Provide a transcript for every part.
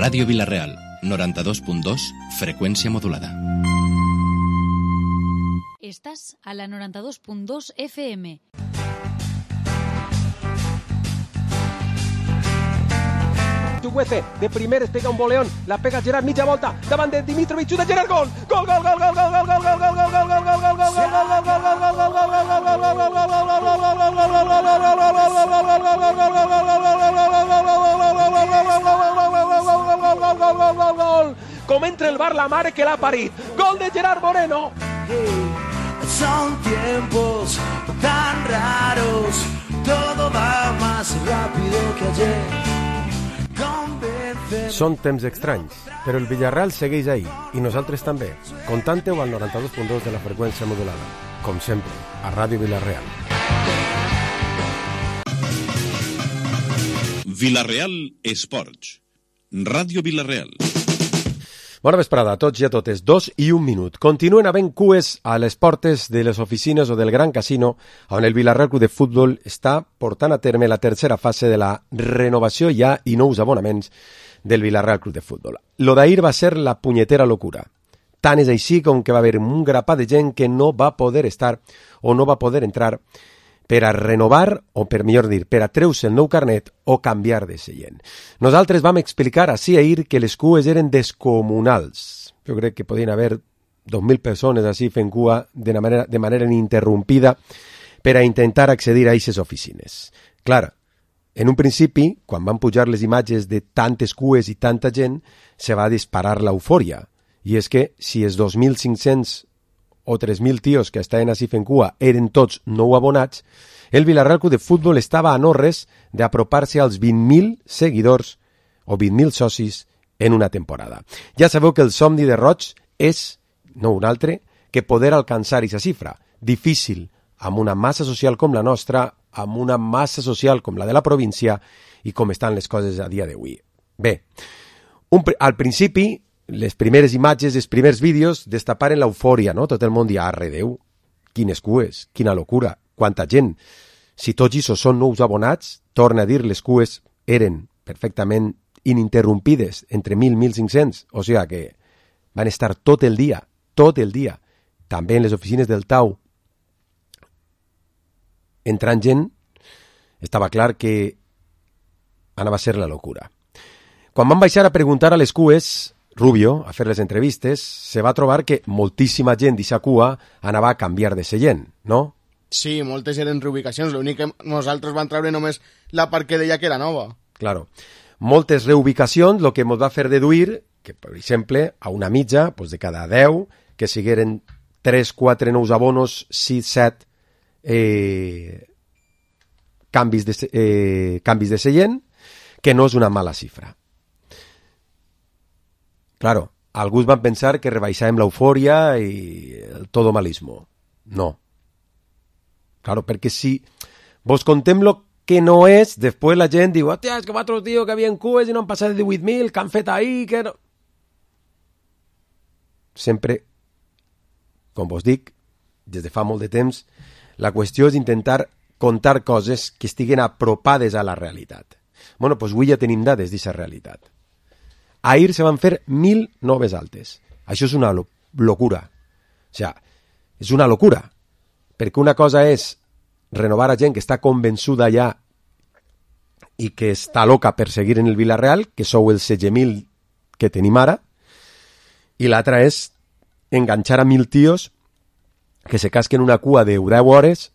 Ràdio Vila-real, 92.2, freqüència modulada. Estás a la 92.2 FM. Chuguece, de primeres pega un boleón, la pega Gerard, mitja volta, davant de Dimitrovic, xuta Gerard, gol! Gol, gol, gol, gol, gol, gol, gol, gol, gol, gol, gol, gol, gol, gol, gol, com entra el bar la mare que l'ha parit. Gol de Gerard Moreno. Son tiempos tan raros, todo va más rápido que ayer. Són temps estranys, però el Villarreal segueix ahí, i nosaltres també. Contante-ho al 92.2 de la freqüència modulada. Com sempre, a Ràdio Vila-real. Vila-real Esports. Ràdio Vila-real. Bona vesprada a tots i a totes. 2 i 1 minut. Continuen havent cues a les portes de les oficines o del Gran Casino, on el Vila-real Club de Futbol està portant a terme la tercera fase de la renovació ja i nous abonaments del Vila-real Club de Futbol. Lo d'ahir va ser la punyetera locura. Tant és així com que va haver un grapat de gent que no va poder estar o no va poder entrar per a renovar, o per millor dir, per a treure el nou carnet o canviar de seient. Nosaltres vam explicar així ahir que les cues eren descomunals. Jo crec que podien haver 2.000 persones així fent cua de manera ininterrompida per a intentar accedir a aquestes oficines. Clar, en un principi, quan van pujar les imatges de tantes cues i tanta gent, se va disparar l'eufòria. I és que si els 2.500 o 3.000 tios que estaven així fent cua eren tots nou abonats, el Vila-real Club de Futbol estava a no res d'apropar-se als 20.000 seguidors o 20.000 socis en una temporada. Ja sabeu que el somni de Roig és, no un altre, que poder alcançar aquesta xifra. Difícil, amb una massa social com la nostra, amb una massa social com la de la província i com estan les coses a dia d'avui. Bé, al principi, les primeres imatges, els primers vídeos destaparen l'eufòria, no? Tot el món dia, arre Déu, quines cues, quina locura, quanta gent. Si tots aquests són nous abonats, torna a dir, les cues eren perfectament ininterrompides, entre 1.000 i 1.500, o sigui que van estar tot el dia, també en les oficines del Tau, entrant gent, estava clar que anava a ser la locura. Quan van baixar a preguntar a les cues, Rubio, a fer les entrevistes, se va trobar que moltíssima gent d'aquesta cua anava a canviar de seient, no? Sí, moltes eren reubicacions, l'únic que nosaltres vam treure només la part que deia que era nova. Claro. Moltes reubicacions, el que ens va fer deduir que, per exemple, a una mitja, pues de cada 10, que sigueren 3, 4 nous abonos, 6, 7 canvis de seient, que no és una mala xifra. Claro, alguns van pensar que rebaixàvem l'eufòria i el todomalismo. No. Claro, perquè si vos contem lo que no és, després la gent diu, hòstia, és que altres dies que havien cues i no han passat de 18.000, que han fet ahir, que no... Sempre, com vos dic, des de fa molt de temps, la qüestió és intentar contar coses que estiguen apropades a la realitat. Bueno, doncs avui ja tenim dades d'aquesta realitat. Ahir se van fer 1.000 noves altes. Això és una locura. O sigui, és una locura. Perquè una cosa és renovar a gent que està convençuda ja i que està loca per seguir en el Vila-real, que sou els 16.000 que tenim ara, i l'altra és enganxar a 1.000 tios que se casquen una cua de 10 hores.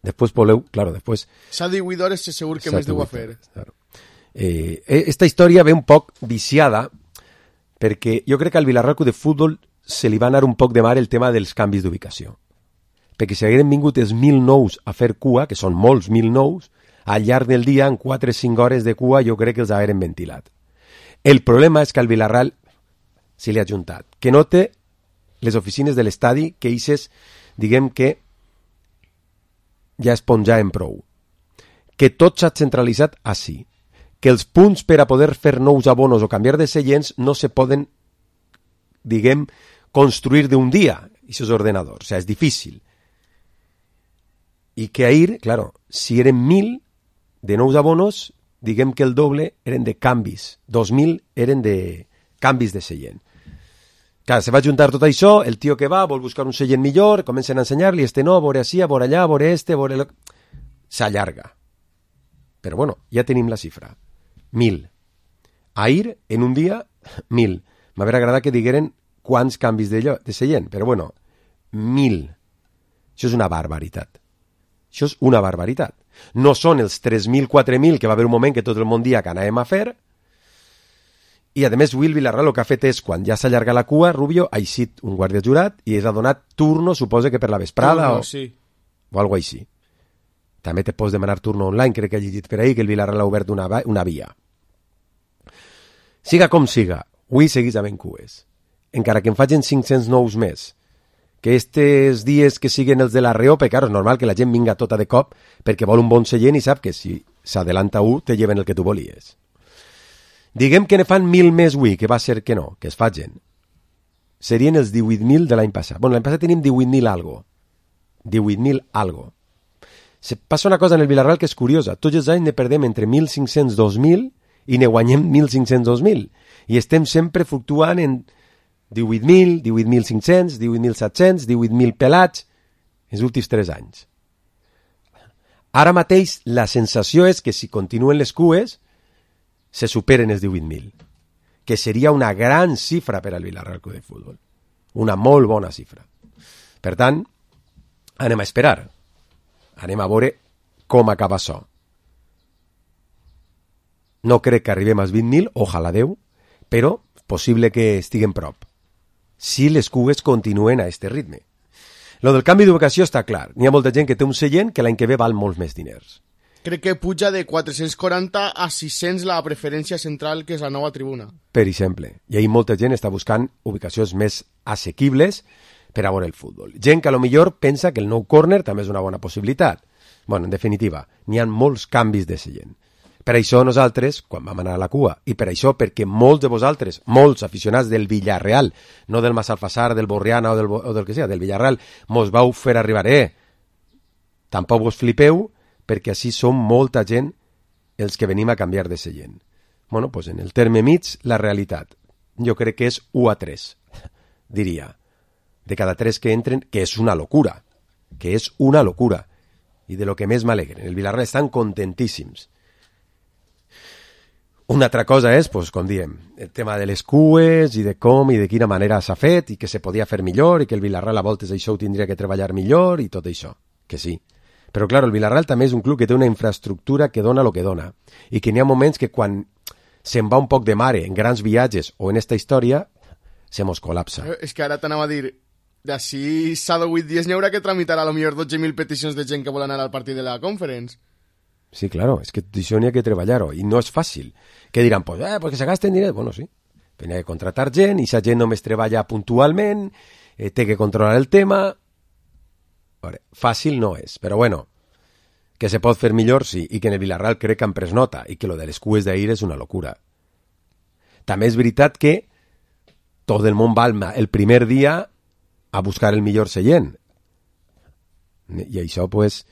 Després voleu, claro, després... S'ha 18 hores, segur que més deu a fer. Claro. Esta història ve un poc viciada perquè jo crec que al Vila-real Club de Futbol se li va anar un poc de mar el tema dels canvis d'ubicació, perquè si hagueren vingut els 1.000 nous a fer cua, que són molts 1.000 nous, al llarg del dia en 4 o 5 hores de cua jo crec que els hagueren ventilat. El problema és que al Vila-real se li ha juntat que no té les oficines de l'estadi, que ixes, diguem que ja esponjaven prou, que tot s'ha centralitzat així, que els punts per a poder fer nous abonos o canviar de seients no se poden, diguem, construir d'un dia, aquests ordenadors, o sigui, és difícil. I que ahir, claro, si eren 1.000 de nous abonos, diguem que el doble eren de canvis. 2.000 eren de canvis de seient. Clar, se va juntar tot això, el tio que va vol buscar un seient millor, comencen a ensenyar-li, no, vore així, vore allà, vore vore... S'allarga. Però bueno, ja tenim la xifra. 1.000. Ahir, en un dia, 1.000. M'hauria agradat que digueren quants canvis de seient, però bueno, 1.000. Això és una barbaritat. Això és una barbaritat. No són els 3.000, 4.000 que va haver un moment que tot el món dia que anàvem a fer. I, a més, Will Villarreal el que ha fet és, quan ja s'allarga la cua, Rubio ha eixit un guàrdia jurat i és ha donat turno, suposa que per la vesprada sí. O alguna cosa així. També te pots demanar turno online, crec que he llegit per ahir que el Villarreal ha obert una via. Siga com siga, avui seguís havent cues. Encara que en facin 500 nous més, que estes dies que siguen els de la Reó, perquè claro, és normal que la gent vinga tota de cop perquè vol un bon seient i sap que si s'adelanta te lleven el que tu volies. Diguem que ne fan 1.000 més avui, que va ser que no, que es facin. Serien els 18.000 de l'any passat. Bueno, l'any passat tenim 18.000 algo. 18.000 algo. Se passa una cosa en el Villarreal que és curiosa. Tots els anys ne perdem entre 1.500 i 2.000 i ne guanyem 1.500 2.000. I estem sempre fluctuant en 18.000, 18.500, 18.700, 18.000 pelats els últims 3 anys. Ara mateix la sensació és que si continuen les cues se superen els 18.000, que seria una gran xifra per al Villarreal Club de Futbol. Una molt bona xifra. Per tant, anem a esperar. Anem a veure com acaba això. No crec que arribem als 20.000, ojalà Déu, però possible que estiguem prop. Si les cues continuen a este ritme. Lo del canvi d'ubicació està clar. N'hi ha molta gent que té un seient que l'any que ve val molts més diners. Crec que puja de 440 a 600 la preferència central, que és la nova tribuna. Per exemple. I ahir molta gent està buscant ubicacions més assequibles per a veure el futbol. Gent que a lo millor pensa que el nou córner també és una bona possibilitat. Bueno, en definitiva, n'hi ha molts canvis de seient. Per això nosaltres, quan vam anar a la cua, i per això perquè molts de vosaltres, molts aficionats del Villarreal, no del Massalfassar, del Borriana o del que sigui, del Villarreal, mos vau fer arribar, tampoc vos flipeu, perquè així som molta gent els que venim a canviar de seient. Bueno, pues en el terme mig, la realitat. Jo crec que és 1 a 3, diria. De cada 3 que entren, que és una locura. Que és una locura. I de lo que més m'alegren. El Villarreal estan contentíssims. Una altra cosa és, pues, com diem, el tema de les cues i de com i de quina manera s'ha fet i que se podia fer millor i que el Villarreal a voltes això ho tindria que treballar millor i tot això, que sí. Però, clar, el Villarreal també és un club que té una infraestructura que dona el que dona i que n'hi ha moments que quan se'n va un poc de mare en grans viatges o en esta història, se mos col·lapsa. És que ara t'anava a dir, d'ací 7 o 8 dies n'hi haurà que tramitar a lo millor 12.000 peticions de gent que vol anar al partit de la Conference. Sí, claro, és que això n'hi ha que treballar-ho i no és fàcil. Que diran, pues, perquè se gasten diners. Bueno, sí, n'hi ha que contratar gent i aquesta gent només treballa puntualment, té que controlar el tema. Veure, fàcil no és, però bueno, que se pot fer millor, sí, i que en el Villarreal crec que han pres nota i que lo de les cues d'ahir és una locura. També és veritat que tot el món va el primer dia a buscar el millor seient. I això, pues,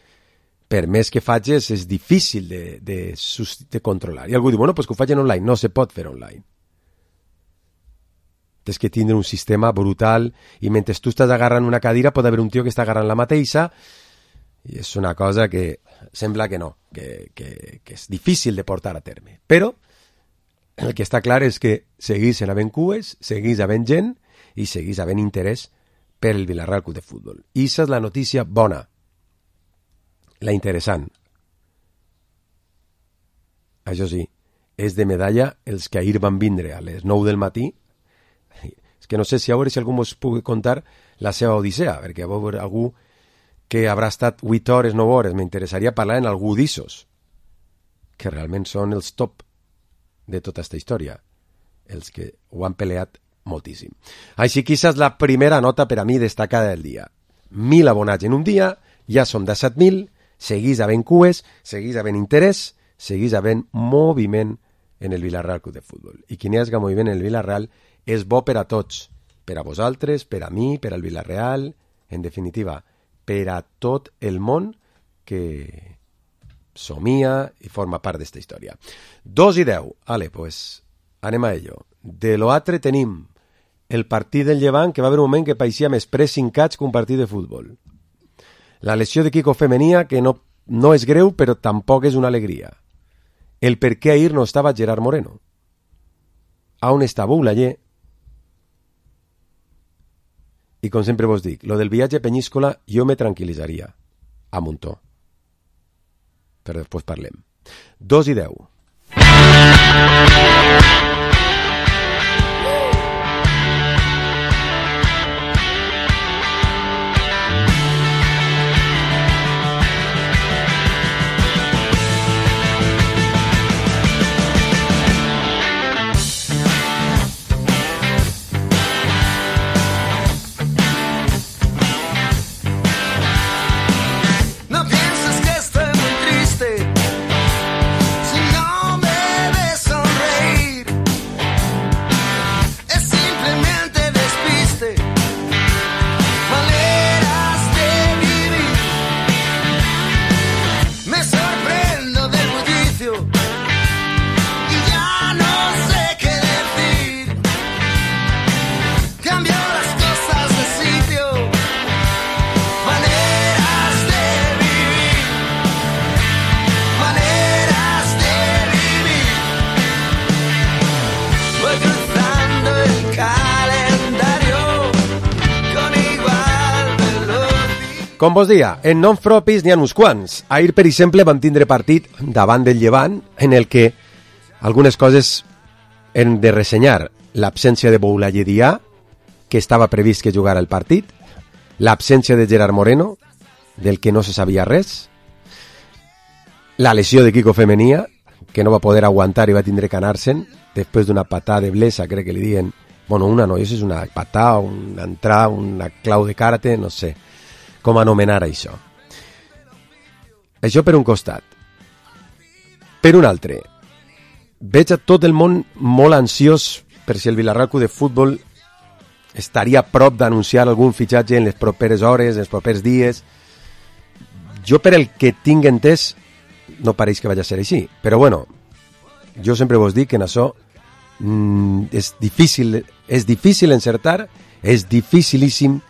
per més que facis, és difícil de controlar. I algú diu, bueno, pues que ho facin online. No se pot fer online. Tens que tindre un sistema brutal i mentre tu estàs agarrant una cadira pot haver un tio que està agarrant la mateixa i és una cosa que sembla que no, que és difícil de portar a terme. Però el que està clar és que seguís havent cues, seguís havent gent i seguís havent interès per el Villarreal Club de Futbol. I aquesta és la notícia bona. La interessant. Això sí, és de medalla els que ahir van vindre a les 9 del matí. És que no sé si a veure si algú us pugui contar la seva odissea, perquè a veure algú que haurà estat 8 hores, 9 hores, m'interessaria parlar en algú d'issos, que realment són els top de tota aquesta història, els que ho han peleat moltíssim. Així que aquesta és la primera nota per a mi destacada del dia. 1.000 abonats en un dia, ja som de 7.000, seguís havent cues, seguís havent interès, seguís havent moviment en el Villarreal Club de Futbol. I quin és el moviment en el Villarreal és bo per a tots, per a vosaltres, per a mi, per al Villarreal, en definitiva, per a tot el món que somia i forma part d'esta història. 2:10. Ale, pues, anem a ello. De l'altre tenim el partit del Llevant, que va haver un moment que pareixia més pressing catch que un partit de futbol. La lesió de Kiko Femenia, que no és greu, però tampoc és una alegria. El per què ahir no estava Gerard Moreno. On està Boulaye? I com sempre vos dic, lo del viatge a Penyíscola jo me tranquil·litzaria a Muntó. Però després parlem. 2:10. No pienses que estoy muy triste si no me ves sonreír. Es simplemente despiste, maneras de vivir. Me sorprendo del bullicio y ya no sé qué decir. Cambio las cosas de sitio, maneras de vivir, maneras de vivir. Voy cruzando el calendario con igual velocidad. Com vos dia, en noms propis n'hi ha uns quants. Ahir, per exemple, vam tindre partit davant del Llevant en el que algunes coses hem de ressenyar. L'absència de Boulaye Dia, que estava previst que jugara el partit, l'absència de Gerard Moreno, del que no se sabia res, la lesió de Kiko Femenia, que no va poder aguantar i va tindre que anar-se'n després d'una patada de blesa, crec que li diuen, bueno, una no, és una patada, una entrada, una clau de karate, no sé com anomenar això. Això per un costat. Per un altre, veig a tot el món molt ansiós per si el Villarreal Club de Futbol estaria a prop d'anunciar algun fitxatge en les properes hores, en els propers dies. Jo, per el que tinc entès, no pareix que vagi a ser així. Però bueno, jo sempre vos dic que en això és difícil encertar, és dificilíssim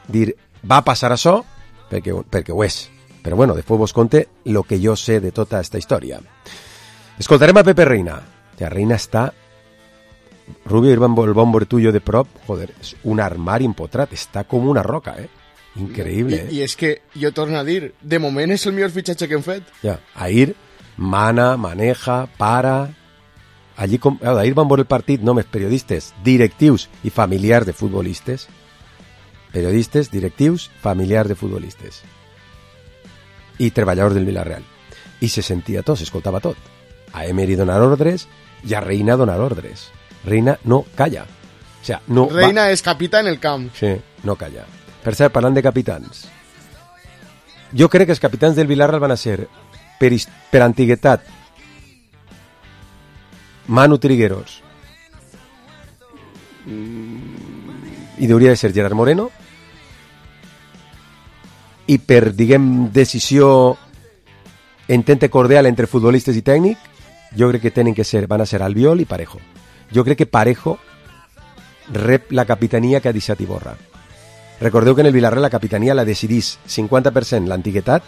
dir va passar això, perquè ho és. Però bueno, després vos conte el que jo sé de tota aquesta història. Escoltarem a Pepe Reina. Ja, Reina està... Rubio, el bon tuyo de prop, joder, és un armari empotrat, està com una roca, Increïble, I és que jo torno a dir, de moment és el millor fitxatge que hem fet. Ja, ahir mana, maneja, para... Allí, ahir van veure el partit només periodistes, directius i familiars de futbolistes. Periodistes, directius, familiars de futbolistes. I treballadors del Villarreal. I se sentia tot, s'escoltava tot. A Emery donar ordres i a Reina donar ordres. Reina no calla. O sea, no Reina és capità en el camp. Sí, no calla. Per cert, parlant de capitans, jo crec que els capitans del Villarreal van a ser, per antiguitat, Manu Trigueros, i hauria de ser Gerard Moreno, i per, diguem, decisió entente cordial entre futbolistes i tècnic, jo crec que van a ser Albiol i Parejo. Jo crec que Parejo rep la capitania que ha deixat Iborra. Recordeu que en el Villarreal la capitania la decidís 50% l'antiguitat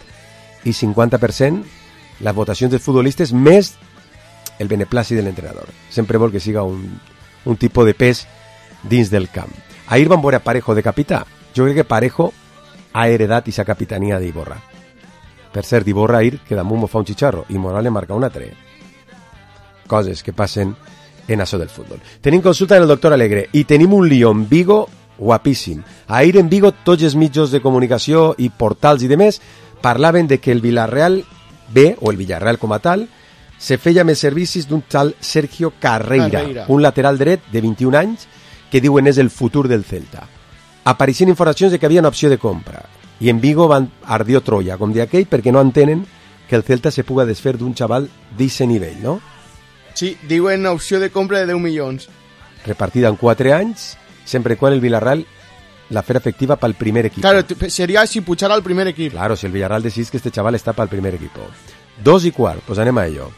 i 50% les votacions dels futbolistes més el beneplàcit de l'entrenador. Sempre vol que siga un tipus de pes dins del camp. Ahir van veure a Parejo de capità. Jo crec que Parejo ha heredat aquesta capitania d'Iborra. Per cert, Iborra ahir que damunt m'ho fa un xicharro i Morales marca un altre. Coses que passen en això del futbol. Tenim consulta del doctor Alegre i tenim un lío en Vigo guapíssim. Ahir en Vigo tots els mitjans de comunicació i portals i demés parlaven de que el Villarreal B, o el Villarreal com a tal, se feia més servicis d'un tal Sergio Carreira, un lateral dret de 21 anys que diuen és el futur del Celta. Apareixien informacions de que havia una opció de compra i en Vigo van ardió Troia, com d'aquell, perquè no entenen que el Celta se puga desfer d'un xaval d'aquest nivell, no? Sí, diuen opció de compra de 10 milions. Repartida en 4 anys, sempre quan el Villarreal la fer efectiva pel primer equip. Claro, sería si puchara al primer equip. Claro, si el Villarreal decís que este chaval está para el primer equipo. 2:15, doncs anem a ello.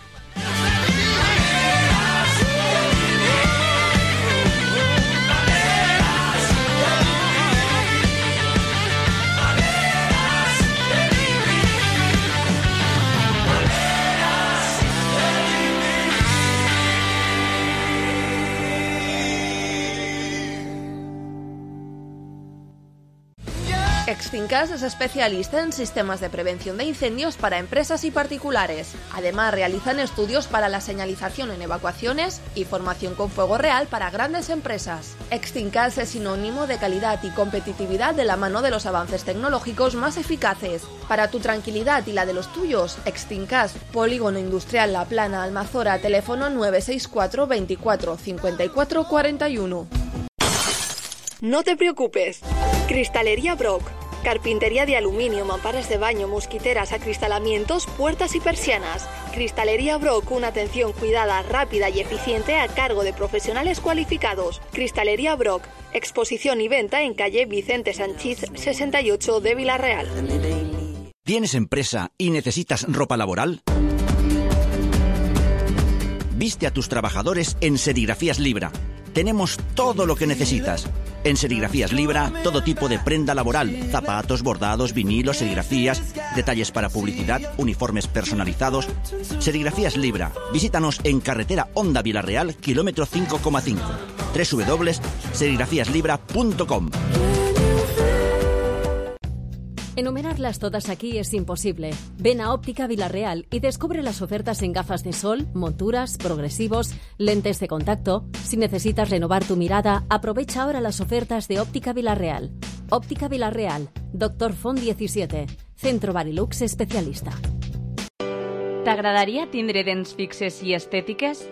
Extincas es especialista en sistemas de prevención de incendios para empresas y particulares. Además, realizan estudios para la señalización en evacuaciones y formación con fuego real para grandes empresas. Extincas es sinónimo de calidad y competitividad de la mano de los avances tecnológicos más eficaces. Para tu tranquilidad y la de los tuyos, Extincas, Polígono Industrial La Plana, Almazora, teléfono 964 24 54 41. No te preocupes. Cristalería Brock. Carpintería de aluminio, mamparas de baño, mosquiteras, acristalamientos, puertas y persianas. Cristalería Brock, una atención cuidada, rápida y eficiente a cargo de profesionales cualificados. Cristalería Brock, exposición y venta en calle Vicente Sanchís 68 de Vila-real. ¿Tienes empresa y necesitas ropa laboral? Viste a tus trabajadores en Serigrafías Libra. Tenemos todo lo que necesitas. En Serigrafías Libra, todo tipo de prenda laboral, zapatos, bordados, vinilos, serigrafías, detalles para publicidad, uniformes personalizados. Serigrafías Libra. Visítanos en carretera Honda Vila-real, kilómetro 5,5. www.serigrafíaslibra.com. Enumerarlas todas aquí es imposible. Ven a Óptica Vila-real y descubre las ofertas en gafas de sol, monturas, progresivos, lentes de contacto. Si necesitas renovar tu mirada, aprovecha ahora las ofertas de Óptica Vila-real. Óptica Vila-real, Dr. Font 17, Centro Barilux especialista. T'agradaria tindre dents fixes i estètiques?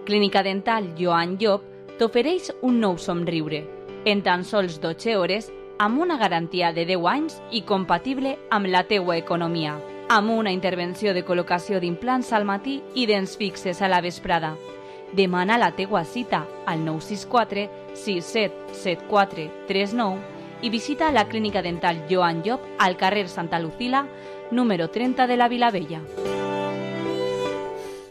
Clínica Dental Joan Llop t'ofereix un nou somriure. En tan sols 12 hores, amb una garantia de 10 anys i compatible amb la teua economia. Amb una intervenció de col·locació d'implants al matí i dents fixes a la vesprada. Demana la teua cita al 964 6774 39 i visita la Clínica Dental Joan Llop al carrer Santa Lucila, número 30 de la Vilavella.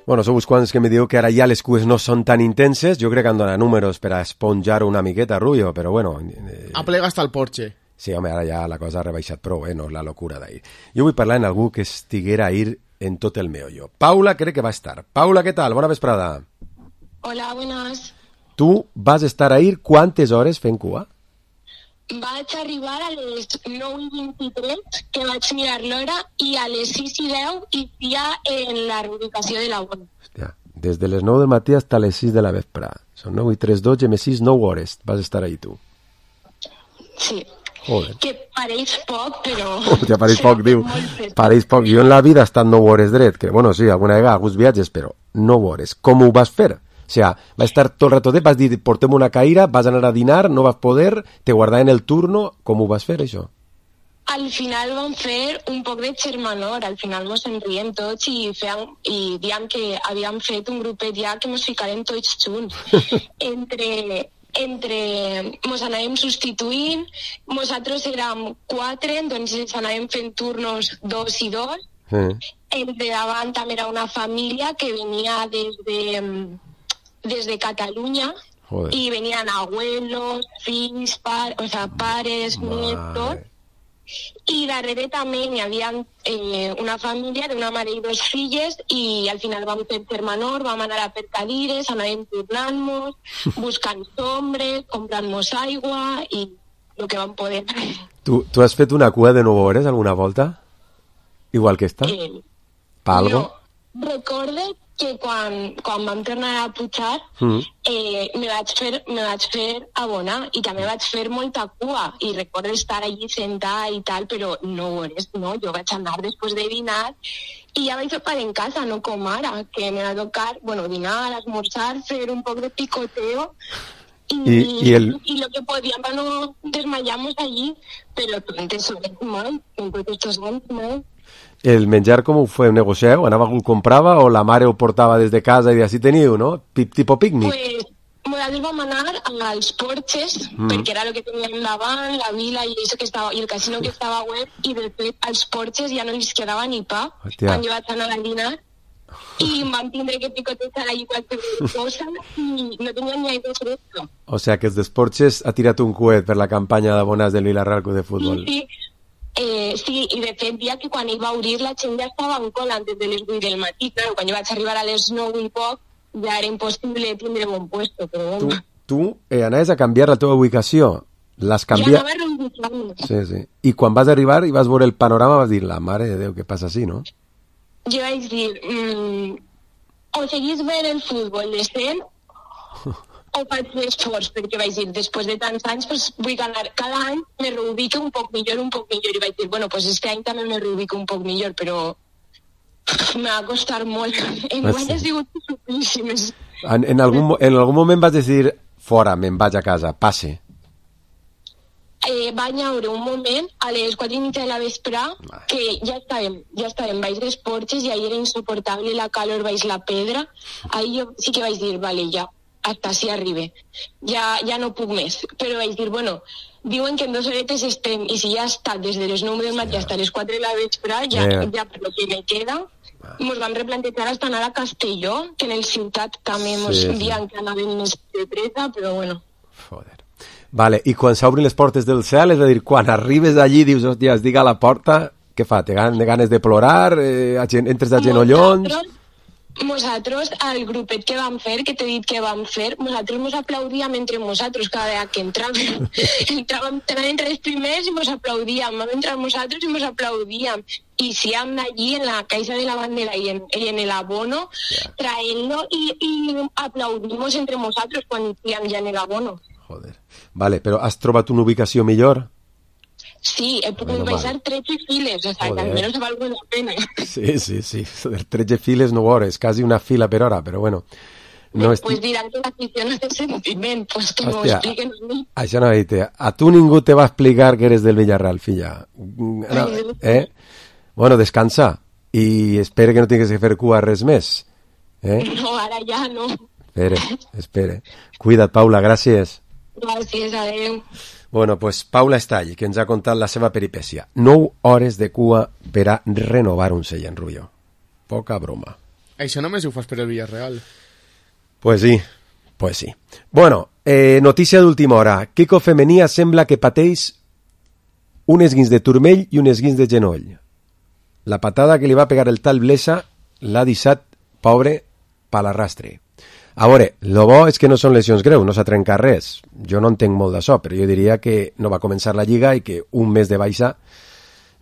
Bueno, sou uns quants que me diu que ara ja les cues no són tan intenses. Jo crec que han donat números per a esponjar una miqueta, Rubio, però bueno... Aplega hasta el Porsche. Sí, home, ara ja la cosa ha rebaixat prou, no és la locura d'ahir. Jo vull parlar en algú que estiguera a ir en tot el meollo. Paula crec que va estar. Paula, què tal? Bona vesprada. Hola, buenas. Tu vas estar a ir quantes hores fent cua? Vaig arribar a les 9:23, que vaig mirar l'hora, i a les 6:10 inicia en la reubicació de la bona. Hòstia, des de les 9 del matí fins a les 6 de la vespre. Són 9 i 3, 12, més 6, 9 hores. Vas estar ahí tu. Sí. Joder. Que pareix poc, però... Hòstia, pareix poc, diu. Pareix poc. Jo en la vida he estat 9 hores dret, que bueno, sí, alguna vegada, alguns viatges, però 9 hores. Com ho vas fer? O sea, va estar tot el rato de, vas dir, portem una caïra, vas anar a dinar, no vas poder, te guardaven el turno, com ho vas fer, això? Al final vam fer un poc de xermanor, al final mos en riem tots i diem que havíem fet un grupet ja que mos ficarem tots junts. Mos anàvem substituint, nosaltres érem 4, doncs ens anàvem fent turnos 2 i 2. Entre davant també era una família que venia desde Catalunya. Joder. Y venían abuelos, fills, pares, nietos. Y darrere també hi havia una família d'una mare i 2 filles i al final vam fer germanor, vam anar a per cadires, anàvem tornant-nos, buscant sombres, comprant-nos aigua i el que vam poder. Tu has fet una cua de 9 hores alguna volta? Igual que esta? Pa algo? No, recorde que quan vam tornar a pujar me vaig fer abonar i també vaig fer molta cua i recordo estar allí sentada i tal, però no hores, no, jo vaig anar després de dinar i ja vaig sopar en casa, no com ara, que me va tocar, bueno, dinar, esmorzar, fer un poc de picoteo y lo que podíamos no desmayamos allí, pero entonces molt, en estos años, ¿no? El menjar com ho feu? Negocieu? Anava algú comprava o la mare ho portava des de casa i així teniu, no? Tipo pícnic? Pues nosaltres vam anar als Porxes, perquè era el que teníem davant, la vila i el casino que estava web, i de fet als Porxes ja no els quedava ni pa. Hòstia. Quan jo vaig anar a dinar, i em van tindre que picotejar allí qualsevol cosa i no tenia ni aigua fresca. O sea que els d'Esportes ha tirat un coet per la campanya d'abonats del Villarreal Club de Futbol. Sí, i de fet, dia que quan hi va obrir la gent ja estava en cola antes de les 8 del matí. Claro, quan jo vaig arribar a les 9 i poc, ja era impossible tindre bon puesto, però bueno. Tu anaves a canviar la teva ubicació. L'has canviat... Ja anava reubicant-me. Sí. I quan vas arribar i vas veure el panorama vas dir, la mare de Déu, què passa així, no? Jo vaig dir, o seguís veient el futbol decent o faig l'esforç, perquè vaig dir, després de tants anys, pues, vull anar cada any, me reubico un poc millor, i vaig dir, bueno, pues este any també me reubico un poc millor, però me va costar molt. Enguany ha sigut suplíssimes. En algun moment vas decidir, fora, me'n vaig a casa, passe. Va haure un moment a les 4:30 de la vespre que ja estàvem baix dels Porxes i ahir era insoportable la calor baix la pedra. Ahir jo sí que vaig dir, vale, ja, hasta si arribe. Ja no puc més. Però vaig dir, bueno, diuen que en 2 horetes estem, i si ja ha estat des de les 9 del matí fins a les 4 de la vespre, ja per lo que me queda, mos vam replantejar hasta anar a Castelló, que en el ciutat també mos diuen que anàvem més de pressa, però bueno. Joder. Vale, i quan s'obrin les portes del cel, és a dir, quan arribes allí dius, hòstia, es diga a la porta, què fa? Té ganes de plorar? Entres a genollons? Nosaltres, al grupet que vam fer, que t'he dit que vam fer, nosaltres mos aplaudíem entre nosaltres cada vegada que entràvem. Entràvem entre els primers i mos aplaudíem, vam entrar nosaltres i mos aplaudíem. I si hem allí en la caixa de la bandera i en el abono, traent-lo i aplaudimos entre nosaltres quan hi ja en el abono. Joder. Vale, però has trobat una ubicació millor? Sí, he pogut baixar 13 files, o sea, que almenys val la pena. Sí. 13 files no veure, quasi una fila per hora, però bueno. No pues diran que l'afició no té sentiment, pues que m'ho expliquen a mi. Això no, a tu ningú te va explicar que eres del Villarreal, filla. No, bueno, descansa i espera que no tinguis que fer cua res més. No, ara ja no. Espere. Cuida't, Paula, gràcies. Gràcies, adeu. Bueno, pues Paula Estall, que ens ha contat la seva peripècia. 9 hores de cua per a renovar un sell en Rubió. Poca broma. Això només ho fas per el Villarreal. Pues sí. Bueno, notícia d'última hora. Kiko Femenia sembla que pateix un esguins de turmell i un esguins de genoll. La patada que li va pegar el tal Blesa l'ha deixat, pobre, pa l'arrastre. A veure, lo bo és que no són lesions greus, no s'ha trencat res. Jo no entenc molt d'això, però jo diria que no va començar la Lliga i que un mes de baixa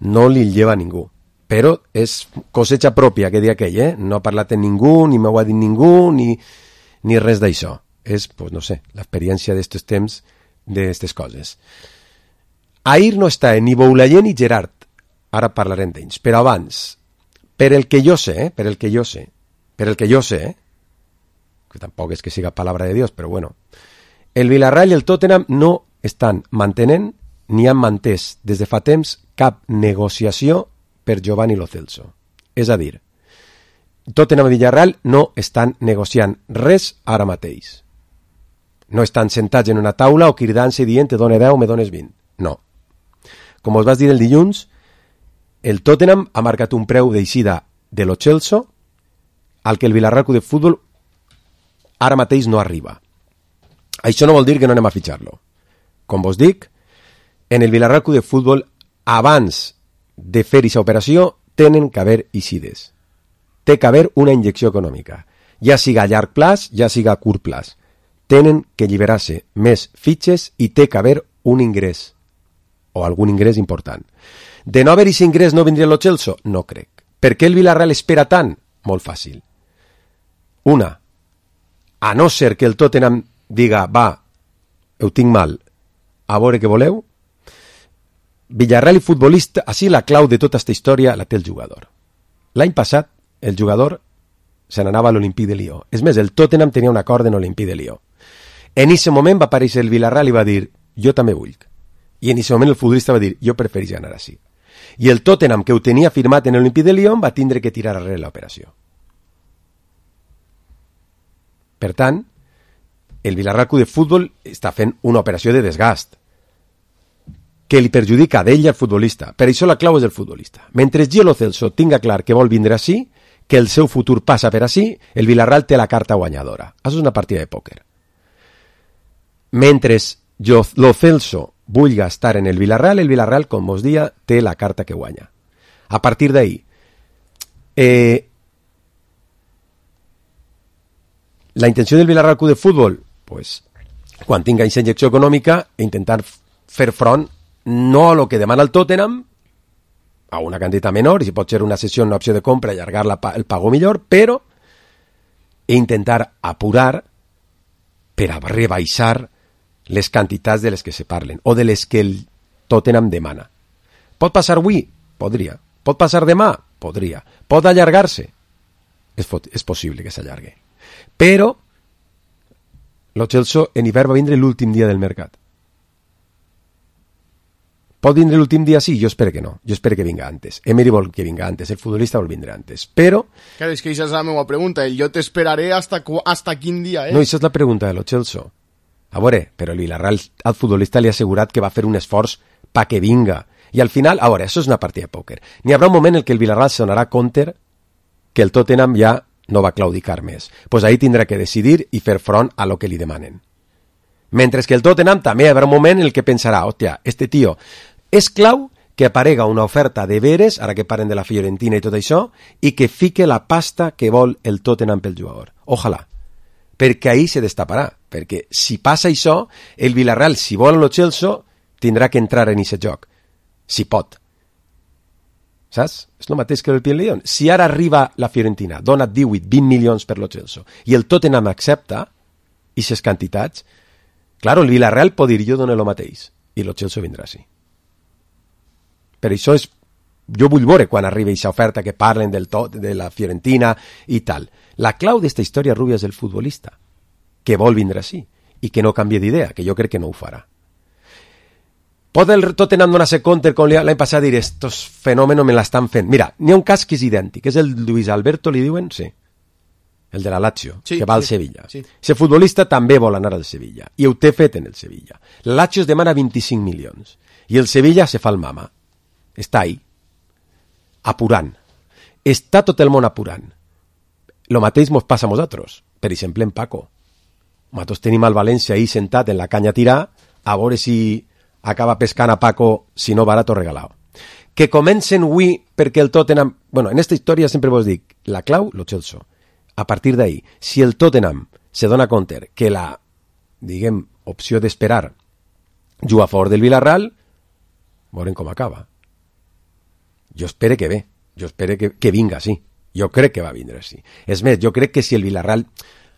no li lleva a ningú. Però és cosecha pròpia, que dia aquell, No ha parlat amb ningú, ni m'ho ha dit ningú, ni res d'això. És, pues no sé, l'experiència d'estos temps, d'estes coses. Ahir no està ni Boulaye ni Gerard. Ara parlarem d'ells. Però abans, per el que jo sé, que tampoc és que siga palabra de Dios, però bueno, el Villarreal i el Tottenham no estan mantenent ni han mantès des de fa temps cap negociació per Giovanni Lo Celso. És a dir, Tottenham i Villarreal no estan negociant res ara mateix. No estan sentats en una taula o cridant-se i dient te done 10, me dones 20. No. Com us vas dir el dilluns, el Tottenham ha marcat un preu d'eixida de Lo Celso al que el Villarreal Club de Futbol ara mateix no arriba. Això no vol dir que no anem a fitxar-lo. Com vos dic, en el Villarreal Club de Futbol, abans de fer aquesta operació, tenen que haver eixides. Té que haver una injecció econòmica. Ja siga a llarg plaç, ja siga a curt plaç. Tenen que alliberar-se més fitxes i té que haver un ingrés. O algun ingrés important. De no haver aquest ingrés no vindria Lo Celso? No crec. Per què el Villarreal espera tant? Molt fàcil. Una, a no ser que el Tottenham diga, va, ho tinc mal, a veure què voleu, Villarreal i futbolista, així la clau de tota aquesta història la té el jugador. L'any passat, el jugador se n'anava a l'Olympique de Lió. És més, el Tottenham tenia un acord en l'Olympique de Lió. En aquest moment va aparèixer el Villarreal i va dir, jo també vull. I en aquest moment el futbolista va dir, jo prefereix anar així. I el Tottenham, que ho tenia firmat en l'Olympique de Lió, va tindre que tirar arrere l'operació. Per tant, el Villarreal Club de Futbol està fent una operació de desgast que li perjudica d'ell i al futbolista. Per això la clau és el futbolista. Mentre Gio Lo Celso tinga clar que vol vindre així, que el seu futur passa per així, el Villarreal té la carta guanyadora. Això és una partida de pòquer. Mentre Lo Celso vulgui estar en el Villarreal, com vos dia, té la carta que guanya. A partir d'ahí, la intenció del Villarreal Club de Futbol, pues, quan tinga aquesta injecció econòmica, intentar fer front no a lo que demana el Tottenham, a una quantitat menor, i si pot ser una sessió, una opció de compra, allargar el pago millor, però intentar apurar per a rebaixar les quantitats de les que se parlen, o de les que el Tottenham demana. Pot passar avui? Podria. Pot passar demà? Podria. Pot allargar-se? És possible que s'allargui. Però Lo Celso en hivern va vindre l'últim dia del mercat. Pot vindre l'últim dia? Sí, jo espero que no. Jo espero que vinga antes. Emery vol que vinga antes, el futbolista vol vindre antes. Però... Claro, és que això és la meva pregunta. Jo t'esperaré hasta quin dia, No, això és la pregunta de Lo Celso. A veure, però el Villarreal al futbolista li ha assegurat que va fer un esforç pa que vinga. I al final, a veure, això és una partida de pòquer. N'hi haurà un moment en què el Villarreal se donarà compte que el Tottenham ja no va claudicar més. Pues ahí tindrà que decidir i fer front a lo que li demanen. Mentre que el Tottenham també hi haurà un moment en el que pensarà, hòstia, este tio és clau que aparega una oferta de veres, ara que paren de la Fiorentina i tot això, i que fique la pasta que vol el Tottenham pel jugador. Ojalà. Perquè ahí se destaparà. Perquè si passa això, el Villarreal, si vol Lo Celso, tindrà que entrar en aquest joc. Si pot. Saps? És el mateix que el Piel León. Si ara arriba la Fiorentina, dona 18-20 milions per Lo Celso, i el Tottenham accepta aquestes quantitats, claro, el Villarreal pot dir jo dono el mateix, i Lo Celso vindrà així. Per això és... Jo vull veure quan arriba aquesta oferta que parlen de la Fiorentina i tal. La clau d'esta història, Rubia, és el futbolista, que vol vindre així, i que no canvie d'idea, que jo crec que no ho farà. Pot el Tottenham donar-se compte com l'any passat dir estos fenòmenos me l'estan fent. Mira, n'hi ha un cas que és idèntic, és el Luis Alberto, li diuen? Sí. El de la Lazio, sí, que va al Sevilla. Sí. Ese futbolista també vol anar al Sevilla, i ho té fet en el Sevilla. La Lazio es demana 25 milions, i el Sevilla se fa el mama. Està ahí, apurant. Està tot el món apurant. Lo mateix mos passa a nosaltres. Per exemple, en Paco. Nosaltres tenim al València ahí sentat en la canya a tirar, a veure si acaba pescant a Paco, si no barat o regalat. Que comencen avui perquè el Tottenham... Bueno, en esta història sempre vos dic, la clau, Lo Celso. A partir d'ahí, si el Tottenham se dona compte que la, diguem, opció d'esperar juga a favor del Villarreal, veurem com acaba. Jo espero que ve, jo espero que vinga així. Jo crec que va vindre així. És més, jo crec que si el Villarreal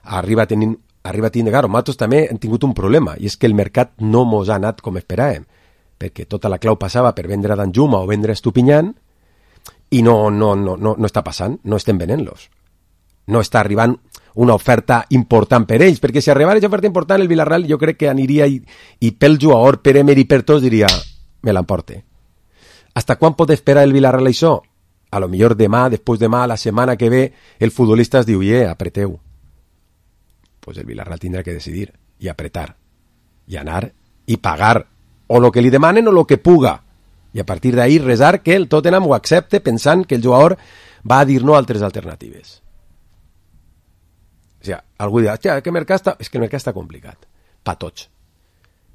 arriba a tenir... Claro, nosaltres també hem tingut un problema, i és que el mercat no mos ha anat com esperàvem, perquè tota la clau passava per vendre a Danjuma o vendre a Estupinyán, i no està passant, no estem venent-los. No està arribant una oferta important per ells, perquè si arribara aquesta oferta important, el Villarreal jo crec que aniria i pel jugador, per Emery, per tots, diria, me l'emporte. Hasta quan pot esperar el Villarreal això? A lo millor demà, després demà, la setmana que ve, el futbolista es diu, apreteu. Pues el Villarreal tindrà que decidir i apretar, i anar i pagar o lo que li demanen o lo que puga, i a partir d'ahí resar que el Tottenham ho accepte pensant que el jugador va a dir no a altres alternatives. O sigui, algú dirà, hòstia, que el mercat està... És que el mercat està complicat, pa tots,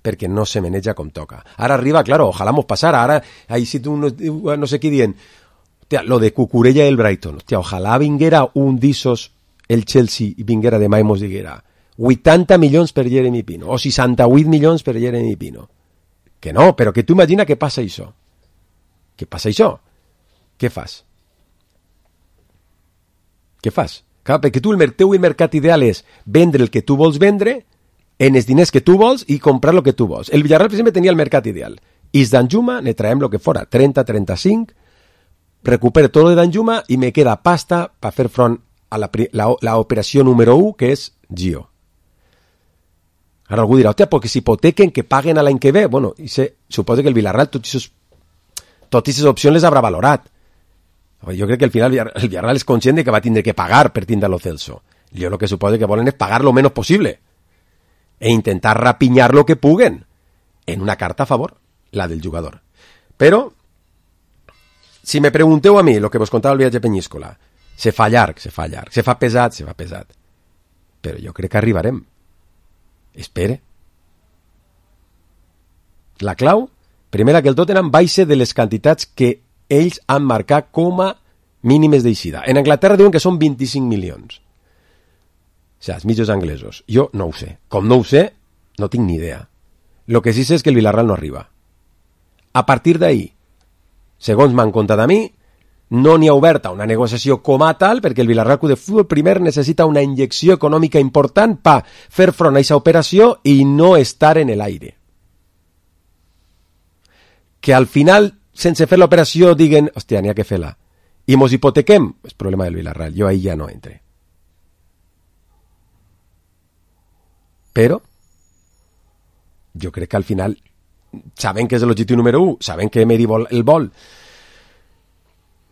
perquè no se maneja com toca. Ara arriba, claro, ojalà mos passara, ara ahí si tu no sé qui dient, hòstia, lo de Cucurella i el Brighton, hòstia, ojalà vinguera un d'issos el Chelsea i vinguera demà i mos diguera 80 milions per Jeremy Pino o 68 milions per Jeremy Pino. Que no, però que tu imagina què passa això. Què passa això? Què fas? Què fas? Clar, perquè tu el teu mercat ideal és vendre el que tu vols vendre en els diners que tu vols i comprar el que tu vols. El Villarreal, per exemple, tenia el mercat ideal. I Danjuma ne traiem el que fora, 30, 35, recupero tot de Danjuma i me queda pasta per fer front a la operació número 1, que és Gio. Ara algú dirà, hòstia, perquè s'hipotequen, que paguen a l'any que ve. Bueno, suposo que el Villarreal totes aquestes opcions les haurà valorat. Jo crec que al final el Villarreal és conscient de que va tindre que pagar per tindre Lo Celso. Jo el que suposo que volen és pagar lo menos possible. e intentar rapiñar lo que puguen en una carta a favor, la del jugador. Però, si me pregunteu a mi el que vos contava el viatge a Penyíscola, se fa llarg, se fa pesat, però jo crec que arribarem. Espere. La clau, primera, que el Tottenham baixe de les quantitats que ells han marcat com a mínimes d'eixida. En Anglaterra diuen que són 25 milions. O sigui, els mitjos anglesos. Jo no ho sé. Com no ho sé, no tinc ni idea. Lo que sí sé és que el Villarreal no arriba. A partir d'ahí, segons m'han contat a mi, no n'hi ha oberta una negociació com a tal, perquè el Villarreal Club de Futbol primer necessita una injecció econòmica important per fer front a aquesta operació i no estar en l'aire. Que al final, sense fer l'operació, diguen, hòstia, n'hi ha que fer-la, i mos hipotequem, és problema del Villarreal, jo ahí ja no entre. Però, jo crec que al final, saben que és l'objectiu número 1, saben que Emery el vol,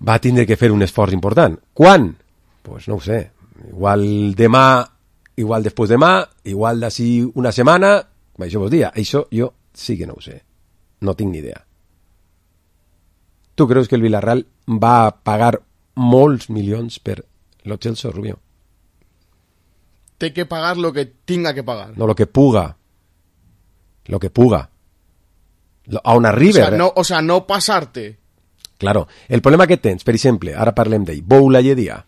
va tindre que fer un esforç important. Quan? Pues no ho sé. Igual demà, igual després demà, igual d'ací una setmana, això vos dia. Això jo sí que no ho sé. No tinc ni idea. Tu creus que el Villarreal va pagar molts milions per lo Chelsea, Rubio? Té que pagar lo que tinga que pagar. No, lo que puga. Lo que puga. A on arriba. O sea, no passar-te. Claro, el problema que tens, per exemple, ara parlem d'ell, Boulaye Dia.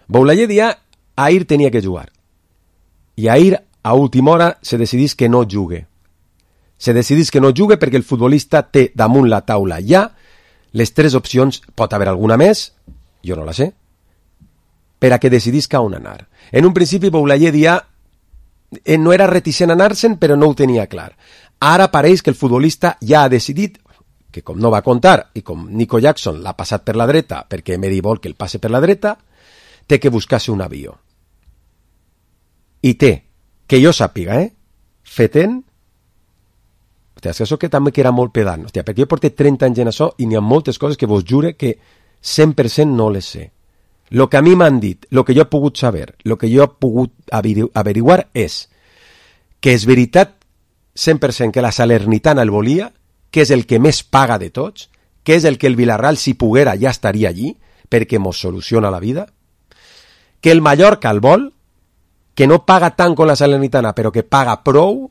Boulaye Dia, ahir tenia que jugar. I ahir, a última hora, se decidís que no jugue. Se decidís que no jugue perquè el futbolista té damunt la taula ja les 3 opcions, pot haver alguna més, jo no la sé, per a que decidisca on anar. En un principi, Boulaye Dia no era reticent a anar-se'n, però no ho tenia clar. Ara pareix que el futbolista ja ha decidit que com no va comptar i com Nico Jackson l'ha passat per la dreta perquè Emery vol que el passe per la dreta, té que buscar-se un avió. I té, que jo sàpiga, feten... Hòstia, és que això que també que era molt pedant. Hòstia, perquè jo porto 30 anys en això i n'hi ha moltes coses que vos jure que 100% no les sé. Lo que a mi m'han dit, lo que jo he pogut saber, lo que jo he pogut averiguar és que és veritat 100% que la Salernitana el volia, que és el que més paga de tots, que és el que el Villarreal, si poguera, ja estaria allí, perquè mos soluciona la vida, que el Mallorca el vol, que no paga tant com la Salernitana, però que paga prou,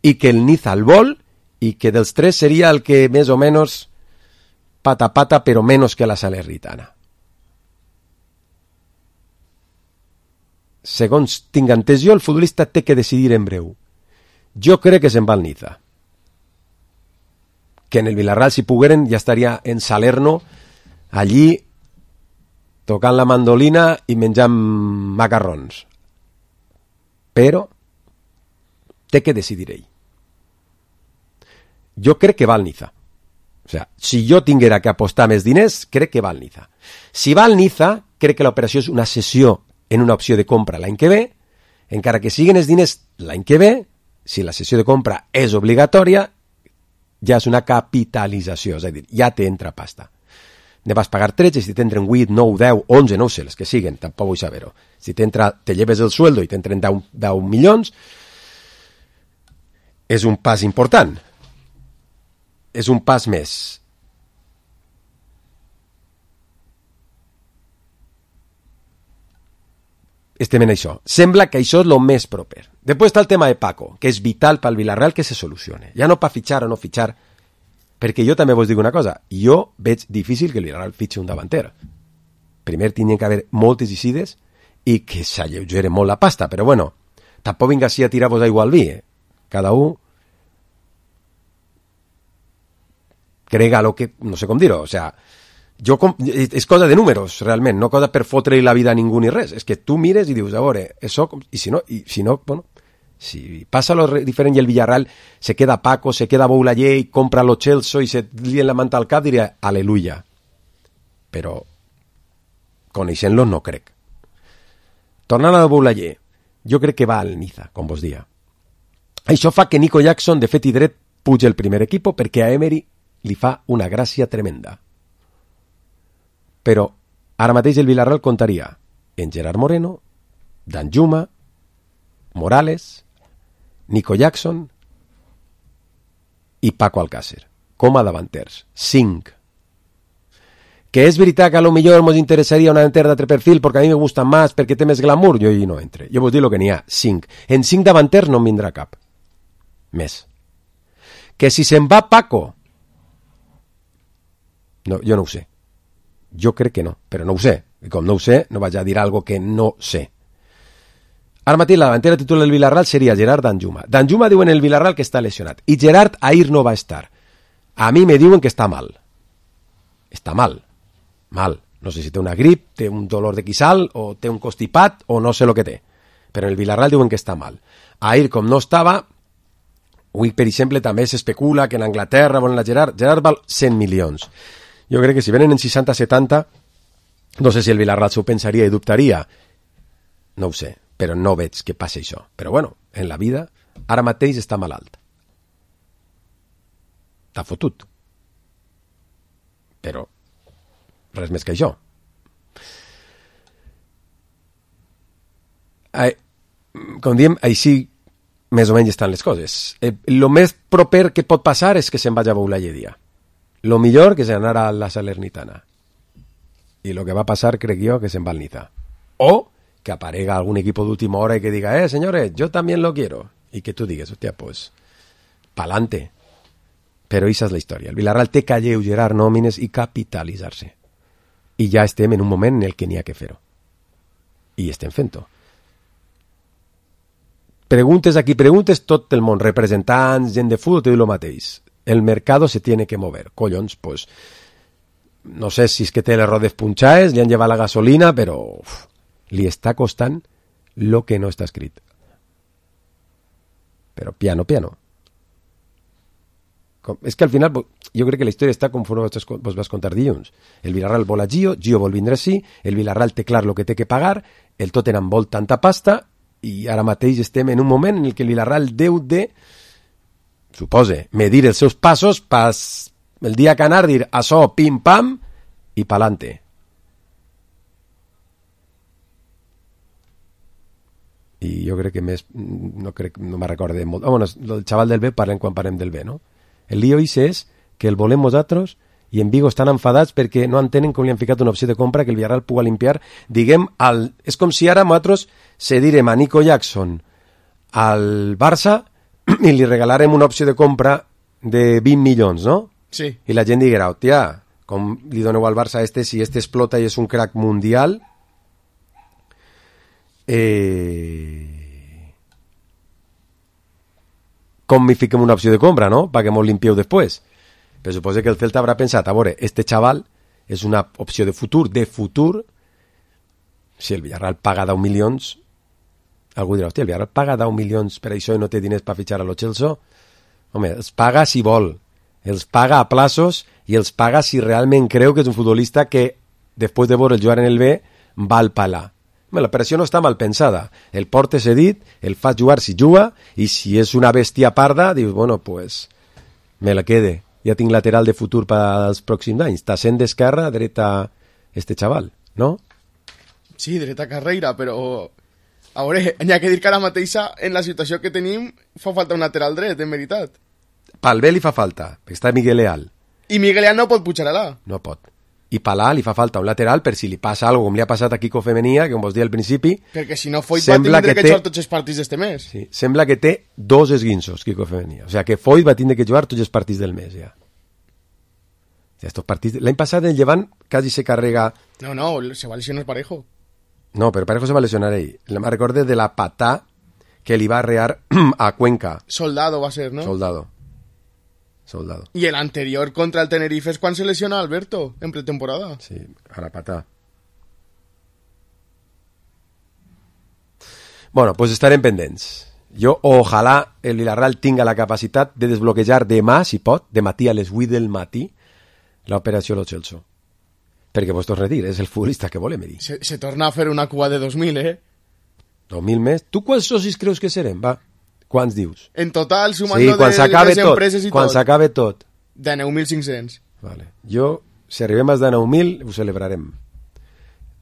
i que el Niza el vol, i que dels 3 seria el que més o menys pata pata, però menys que la Salernitana. Segons tinc entès jo, el futbolista té que decidir en breu. Jo crec que se'n va al Niza. Que en el Villarreal, si pogueren, ja estaria en Salerno, allí, tocant la mandolina i menjant macarrons. Però té que decidir ell. Jo crec que va al Niza. O sea, si jo tinguera que apostar més diners, crec que va al Niza. Si va al Niza, crec que l'operació és una cessió en una opció de compra l'any que ve, encara que siguin els diners l'any que ve, si la cessió de compra és obligatòria, ja és una capitalització, és a dir, ja t'entra pasta. Ne vas pagar 13, si t'entren 8, 9, 10, 11, no sé, les que siguen, tampoc vull saber-ho. Si t'entra, te lleves el sueldo i t'entren 10 milions, és un pas important. És un pas més. Estem en això. Sembla que això és el més proper. Després està el tema de Paco, que és vital pel Villarreal que se solucione. Ja no per fitxar o no fitxar, perquè jo també vos dic una cosa, jo veig difícil que el Villarreal fitxi un davanter. Primer tindrien que haver moltes eixides i que s'alleugere molt la pasta, però bueno, tampoc vinga així a tirar-vos aigua al vi, Cada un crega lo que... no sé com dir-ho, o sea, és cosa de números, realment, no cosa per fotre-li la vida a ningú ni res. És que tu mires i dius, a veure, això... I si no, bueno, si passa lo diferent i el Villarreal se queda Paco, se queda Boulaye i compra lo Chelsea i se lien la manta al cap, diria, aleluia. Però, coneixent-lo, no crec. Tornant a Boulaye, jo crec que va al Niza, com vos dia. Això fa que Nico Jackson, de fet i dret, pugi el primer equip perquè a Emery li fa una gràcia tremenda. Però ara mateix el Villarreal comptaria en Gerard Moreno, Danjuma, Morales, Nico Jackson i Paco Alcácer, com a davanters. 5. Que és veritat que a lo millor mos interessaria una davanter d'altre perfil perquè a mi me gusta més, perquè té més glamour, jo hi no entre. Jo vos dic el que n'hi ha, 5. En 5 davanters no en vindrà cap. Més. Que si se'n va Paco, no, jo no ho sé. Jo crec que no, però no ho sé. I com no ho sé, no vaig a dir algo que no sé. Ara mateix la davantera titular del Villarreal seria Gerard Danjuma. Danjuma diuen el Villarreal que està lesionat. I Gerard ahir no va estar. A mi me diuen que està mal. Està mal. Mal. No sé si té una grip, té un dolor de quissal, o té un constipat, o no sé el que té. Però en el Villarreal diuen que està mal. Ahir, com no estava, avui, per exemple, també s'especula que en Anglaterra volen la Gerard. Gerard val 100 milions. Jo crec que si venen en 60-70, no sé si el Villarreal s'ho pensaria i dubtaria. No ho sé, però no veig que passi això. Però bueno, en la vida, ara mateix està malalt. Està fotut. Però res més que això. Com diem, així més o menys estan les coses. El més proper que pot passar és que se'n vagi a Boula Lledia. Lo millor que se'n anara a la Salernitana. I lo que va passar, crec jo, que se'n va al Niza. O que aparega algún equipo de última hora y que diga, señores, yo también lo quiero. Y que tú digas, hostia, pues, pa'lante. Però esa és la història. El Villarreal té que alleugerar nòmines i capitalitzar-se. I ja estem en un moment en el que n'hi ha que fer-ho. I estem fent-ho. Preguntes aquí, preguntes tot el món, representants, gent de futbol, te diu el mateix. El mercado se tiene que mover. Collons, pues, no sé si és que té les rodes punxades, li han llevat la gasolina, però li està costant lo que no està escrit. Però piano, piano. És que al final, jo crec que la història està conforme vos vas contar dilluns. El Villarreal vol a Gio vol vindre així, el Villarreal té clar el que té que pagar, el Tottenham vol tanta pasta, i ara mateix estem en un moment en el que el Villarreal deu de, supose, medir els seus passos pas el dia que anar, dir això, pim-pam, i pa'lante. I jo crec que més, no me'n recorde molt. Bueno, el xaval del B parlem quan parlem del B, no? El lío és que el volem nosaltres i en Vigo estan enfadats perquè no entenen com li han ficat una opció de compra que el Villarreal pugui limpiar. Diguem, és com si ara nosaltres cedirem a Nico Jackson al Barça i li regalarem una opció de compra de 20 milions, no? Sí. I la gent diguera, hòstia, com li doneu al Barça si explota i és un crack mundial, com m'hi fiquem una opció de compra, no? Perquè m'ho limpieu després. Però suposo que el Celta haurà pensat, a veure, este xaval és una opció de futur, si el Villarreal paga 10 milions, algú dirà, hòstia, el Villarreal paga 10 milions per això i no té diners per fitxar a lo Chelsea? Home, els paga si vol, els paga a plaços i els paga si realment creu que és un futbolista que, després de veure el jugar en el B, val palar. L'operació no està mal pensada. El portes cedit, el fas jugar si juga, i si és una bèstia parda, dius, bueno, pues, me la quede. Ja tinc lateral de futur per als pròxims anys. Està sent d'esquerra, dreta, este xaval, no? Sí, dreta carrera, però... A veure, hi ha que dir que ara mateixa, en la situació que tenim, fa falta un lateral dret, en veritat. Pel bé li fa falta, perquè està Miguel Leal. I Miguel Leal no pot pujar allà. No pot. I Palà li fa falta un lateral per si li passa alguna cosa com li ha passat a Kiko Femenia, que com vos deia al principi... Perquè si no Foyt va tindre que jugar tots els partits d'este mes. Sí, sembla que té 2 esguinços, Kiko Femenia. O sigui que Foyt va tindre que jugar tots els partits del mes, ja. Estos partits... L'any passat el Llevant quasi se carrega... No, se va lesionar Parejo. No, però Parejo se va lesionar ell. Me recorde de la patà que li va arrear a Cuenca. Soldado va ser, no? Soldado. Y el anterior contra el Tenerife es cuando se lesiona Alberto en pretemporada. Sí, a la patà. Bueno, pues estarem pendents. Jo, ojalà el Villarreal tinga la capacitat de desbloquejar demà, si pot, de matí a les 8 del matí, l'operació Lo Celso. Perquè vos torno a dir, és el futbolista que volem dir. Se torna a fer una cua de 2.000, 2.000 més? Tu quants socis creus que serem, va? Quants dius? En total, sumant sí, de les empreses i tot. Quan s'acabe tot. De 9.500. Vale. Jo, si arribem als de 9.000, ho celebrarem.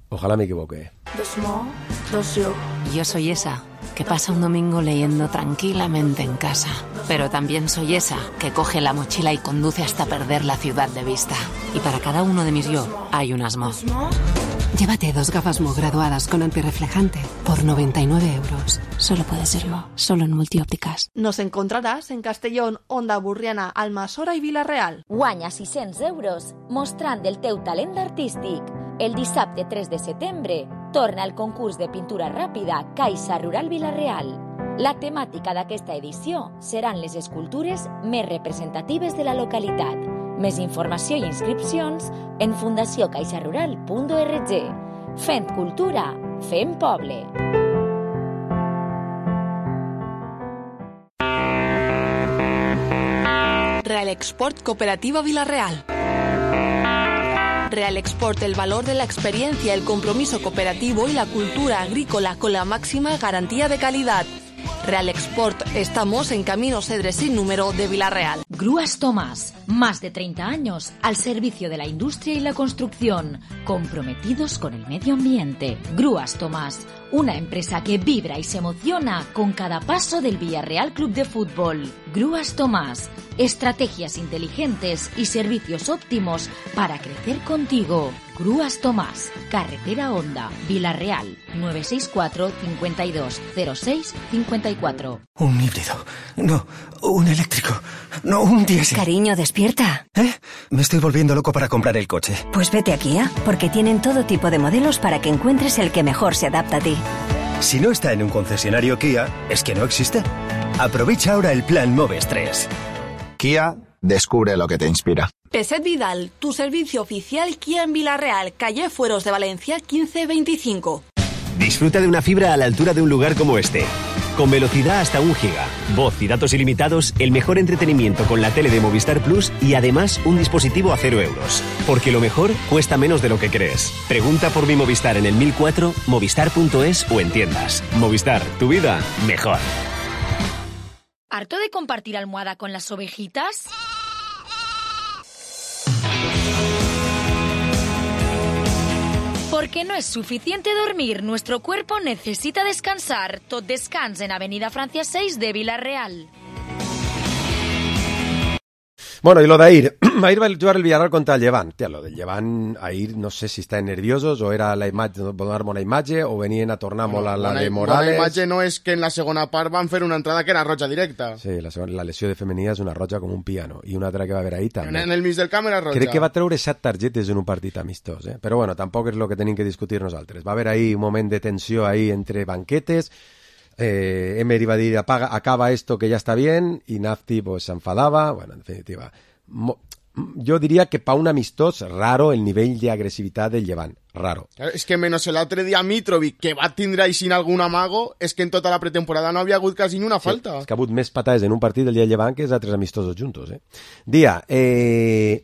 Ojalá me equivoque. Dos mo, dos yo. Yo soy esa. que pasa un domingo leyendo tranquilamente en casa. Pero también soy esa que coge la mochila y conduce hasta perder la ciudad de vista. Y para cada uno de mis yo hay un Asmo. Llévate 2 gafas Mo graduadas con antirreflejante por 99 euros. Solo puede ser Mo, solo en Multiópticas. Nos encontraràs en Castellón, Onda Burriana, Almassora i Vila-real. Guanya 600 euros mostrant el teu talent artístic. El dissabte 3 de setembre torna el concurs de pintura ràpida Caixa Rural Vila-real. La temàtica d'aquesta edició seran les escultures més representatives de la localitat. Més informació i inscripcions en fundaciocaixarural.org. Fent cultura, fem poble. Real Export Cooperativa Vila-real. Real Export, el valor de la experiencia, el compromiso cooperativo y la cultura agrícola con la máxima garantía de calidad. Real Export, estamos en Camino Cedres sin número de Vila-real. Grúas Tomás, más de 30 años al servicio de la industria y la construcción, comprometidos con el medio ambiente. Grúas Tomás, una empresa que vibra y se emociona con cada paso del Villarreal Club de Fútbol. Grúas Tomás, estrategias inteligentes y servicios óptimos para crecer contigo. Grúas Tomás, Carretera Honda, Vila-real, 964 52 06 54. Un híbrido. No, un eléctrico. No, un diésel. Cariño, despierta. Me estoy volviendo loco para comprar el coche. Pues vete a Kia, porque tienen todo tipo de modelos para que encuentres el que mejor se adapta a ti. Si no está en un concesionario Kia, es que no existe. Aprovecha ahora el plan Moves 3. Kia, descubre lo que te inspira. Peset Vidal, tu servicio oficial Kia en Vila-real, calle Fueros de Valencia 1525. Disfruta de una fibra a la altura de un lugar como este. Con velocidad hasta 1 giga, voz y datos ilimitados, el mejor entretenimiento con la tele de Movistar Plus y además un dispositivo a 0 euros. Porque lo mejor cuesta menos de lo que crees. Pregunta por mi Movistar en el 1004, movistar.es o en tiendas. Movistar, tu vida mejor. ¿Harto de compartir almohada con las ovejitas? Porque no es suficiente dormir, nuestro cuerpo necesita descansar. Tot descans en Avenida Francia 6 de Vila-real. Bueno, y lo de Air. Air va a jugar el Villarreal contra el Llevant. Tía, lo del Llevant, Air, no sé si están nerviosos o era la imatge, donar bona imatge o venien a tornar molt a la de Morales. La imatge no és que en la segona part van fer una entrada que era roja directa. Sí, la lesió de Femenia és una roja com un piano. I una altra que va haver ahir també. En el mig del camp era roja. Crec que va treure 7 targetes en un partit amistós, eh? Però bueno, tampoc és el que tenim que discutir nosaltres. Va haver ahir un moment de tensió ahí entre banquetes. Emery va dir acaba esto que ya está bien y Nafti pues se enfadaba. Bueno, en definitiva, yo diría que para un amistós raro el nivell de agresivitat del Llevant, raro. És que menos el altre dia Mitrovic, que va tindre ahí sin algun amago, és que en tota la pretemporada no havia hagut quasi ni una falta. És que ha hagut més patades en un partit del dia del Llevant que els altres amistosos juntos, eh? Dia, el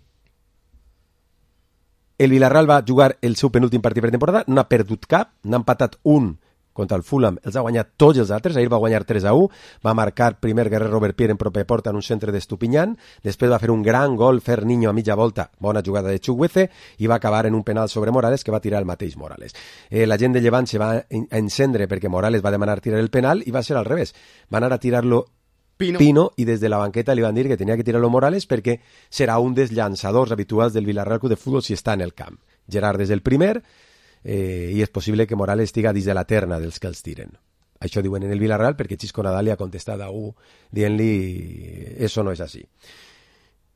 Villarreal va jugar el seu penúltim partit pretemporada, no ha perdut cap, n'ha empatat un contra el Fulham, els ha guanyat tots els altres. Ahir va guanyar 3-1, va marcar primer Guerrero Robert Pierre en proper porta en un centre d'Estupinyan, després va fer un gran gol Ferniño a mitja volta, bona jugada de Chukwueze, i va acabar en un penal sobre Morales que va tirar el mateix Morales. La gent de Llevant se va encendre perquè Morales va demanar tirar el penal i va ser al revés, va anar a tirar-lo Pino i des de la banqueta li van dir que tenia que tirar-lo Morales perquè serà un dels llançadors habituals del Villarreal Club de Fútbol si està en el camp. Gerard és el primer, i és possible que Morales estiga dins de la terna dels que els tiren. Això diuen en el Villarreal perquè Xisco Nadal li ha contestat a dient-li eso no és així.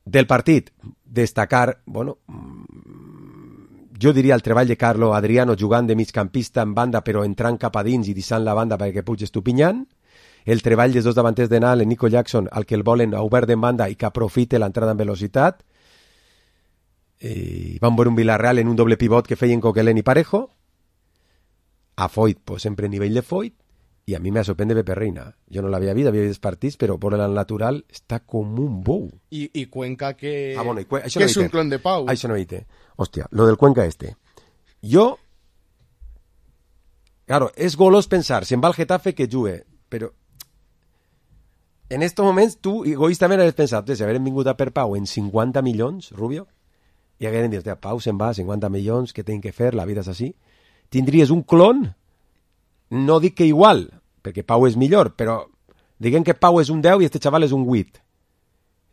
Del partit, destacar, bueno, jo diria el treball de Carlo Adriano jugant de migcampista en banda però entrant cap a dins i deixant la banda perquè pugi Estupinyan, el treball dels dos davanters de Nal, en Nico Jackson, al que el volen obert en banda i que aprofite l'entrada en velocitat. Van veure un Villarreal en un doble pivot que feien Coquelin i Parejo, a Foyt, pues sempre nivell de Foyt, i a mi me sorprende Pepe Reina. Jo no l'havia vist, havia vist partits, però por el natural està com un bou. I Cuenca que, bueno, que no és un clon de Pau. Això no viste. Hòstia, lo del Cuenca este. Jo, claro, és golós pensar, si em va al Getafe que jugue, però en estos moments tu egoístament has pensat, si hagueren vingut a per Pau en 50 milions, Rubio, i hagueren dit, Pau se'n va, 50 milions, què tinc que fer, la vida és així, tindries un clon, no dic que igual, perquè Pau és millor, però diguem que Pau és un 10 i este xaval és un 8.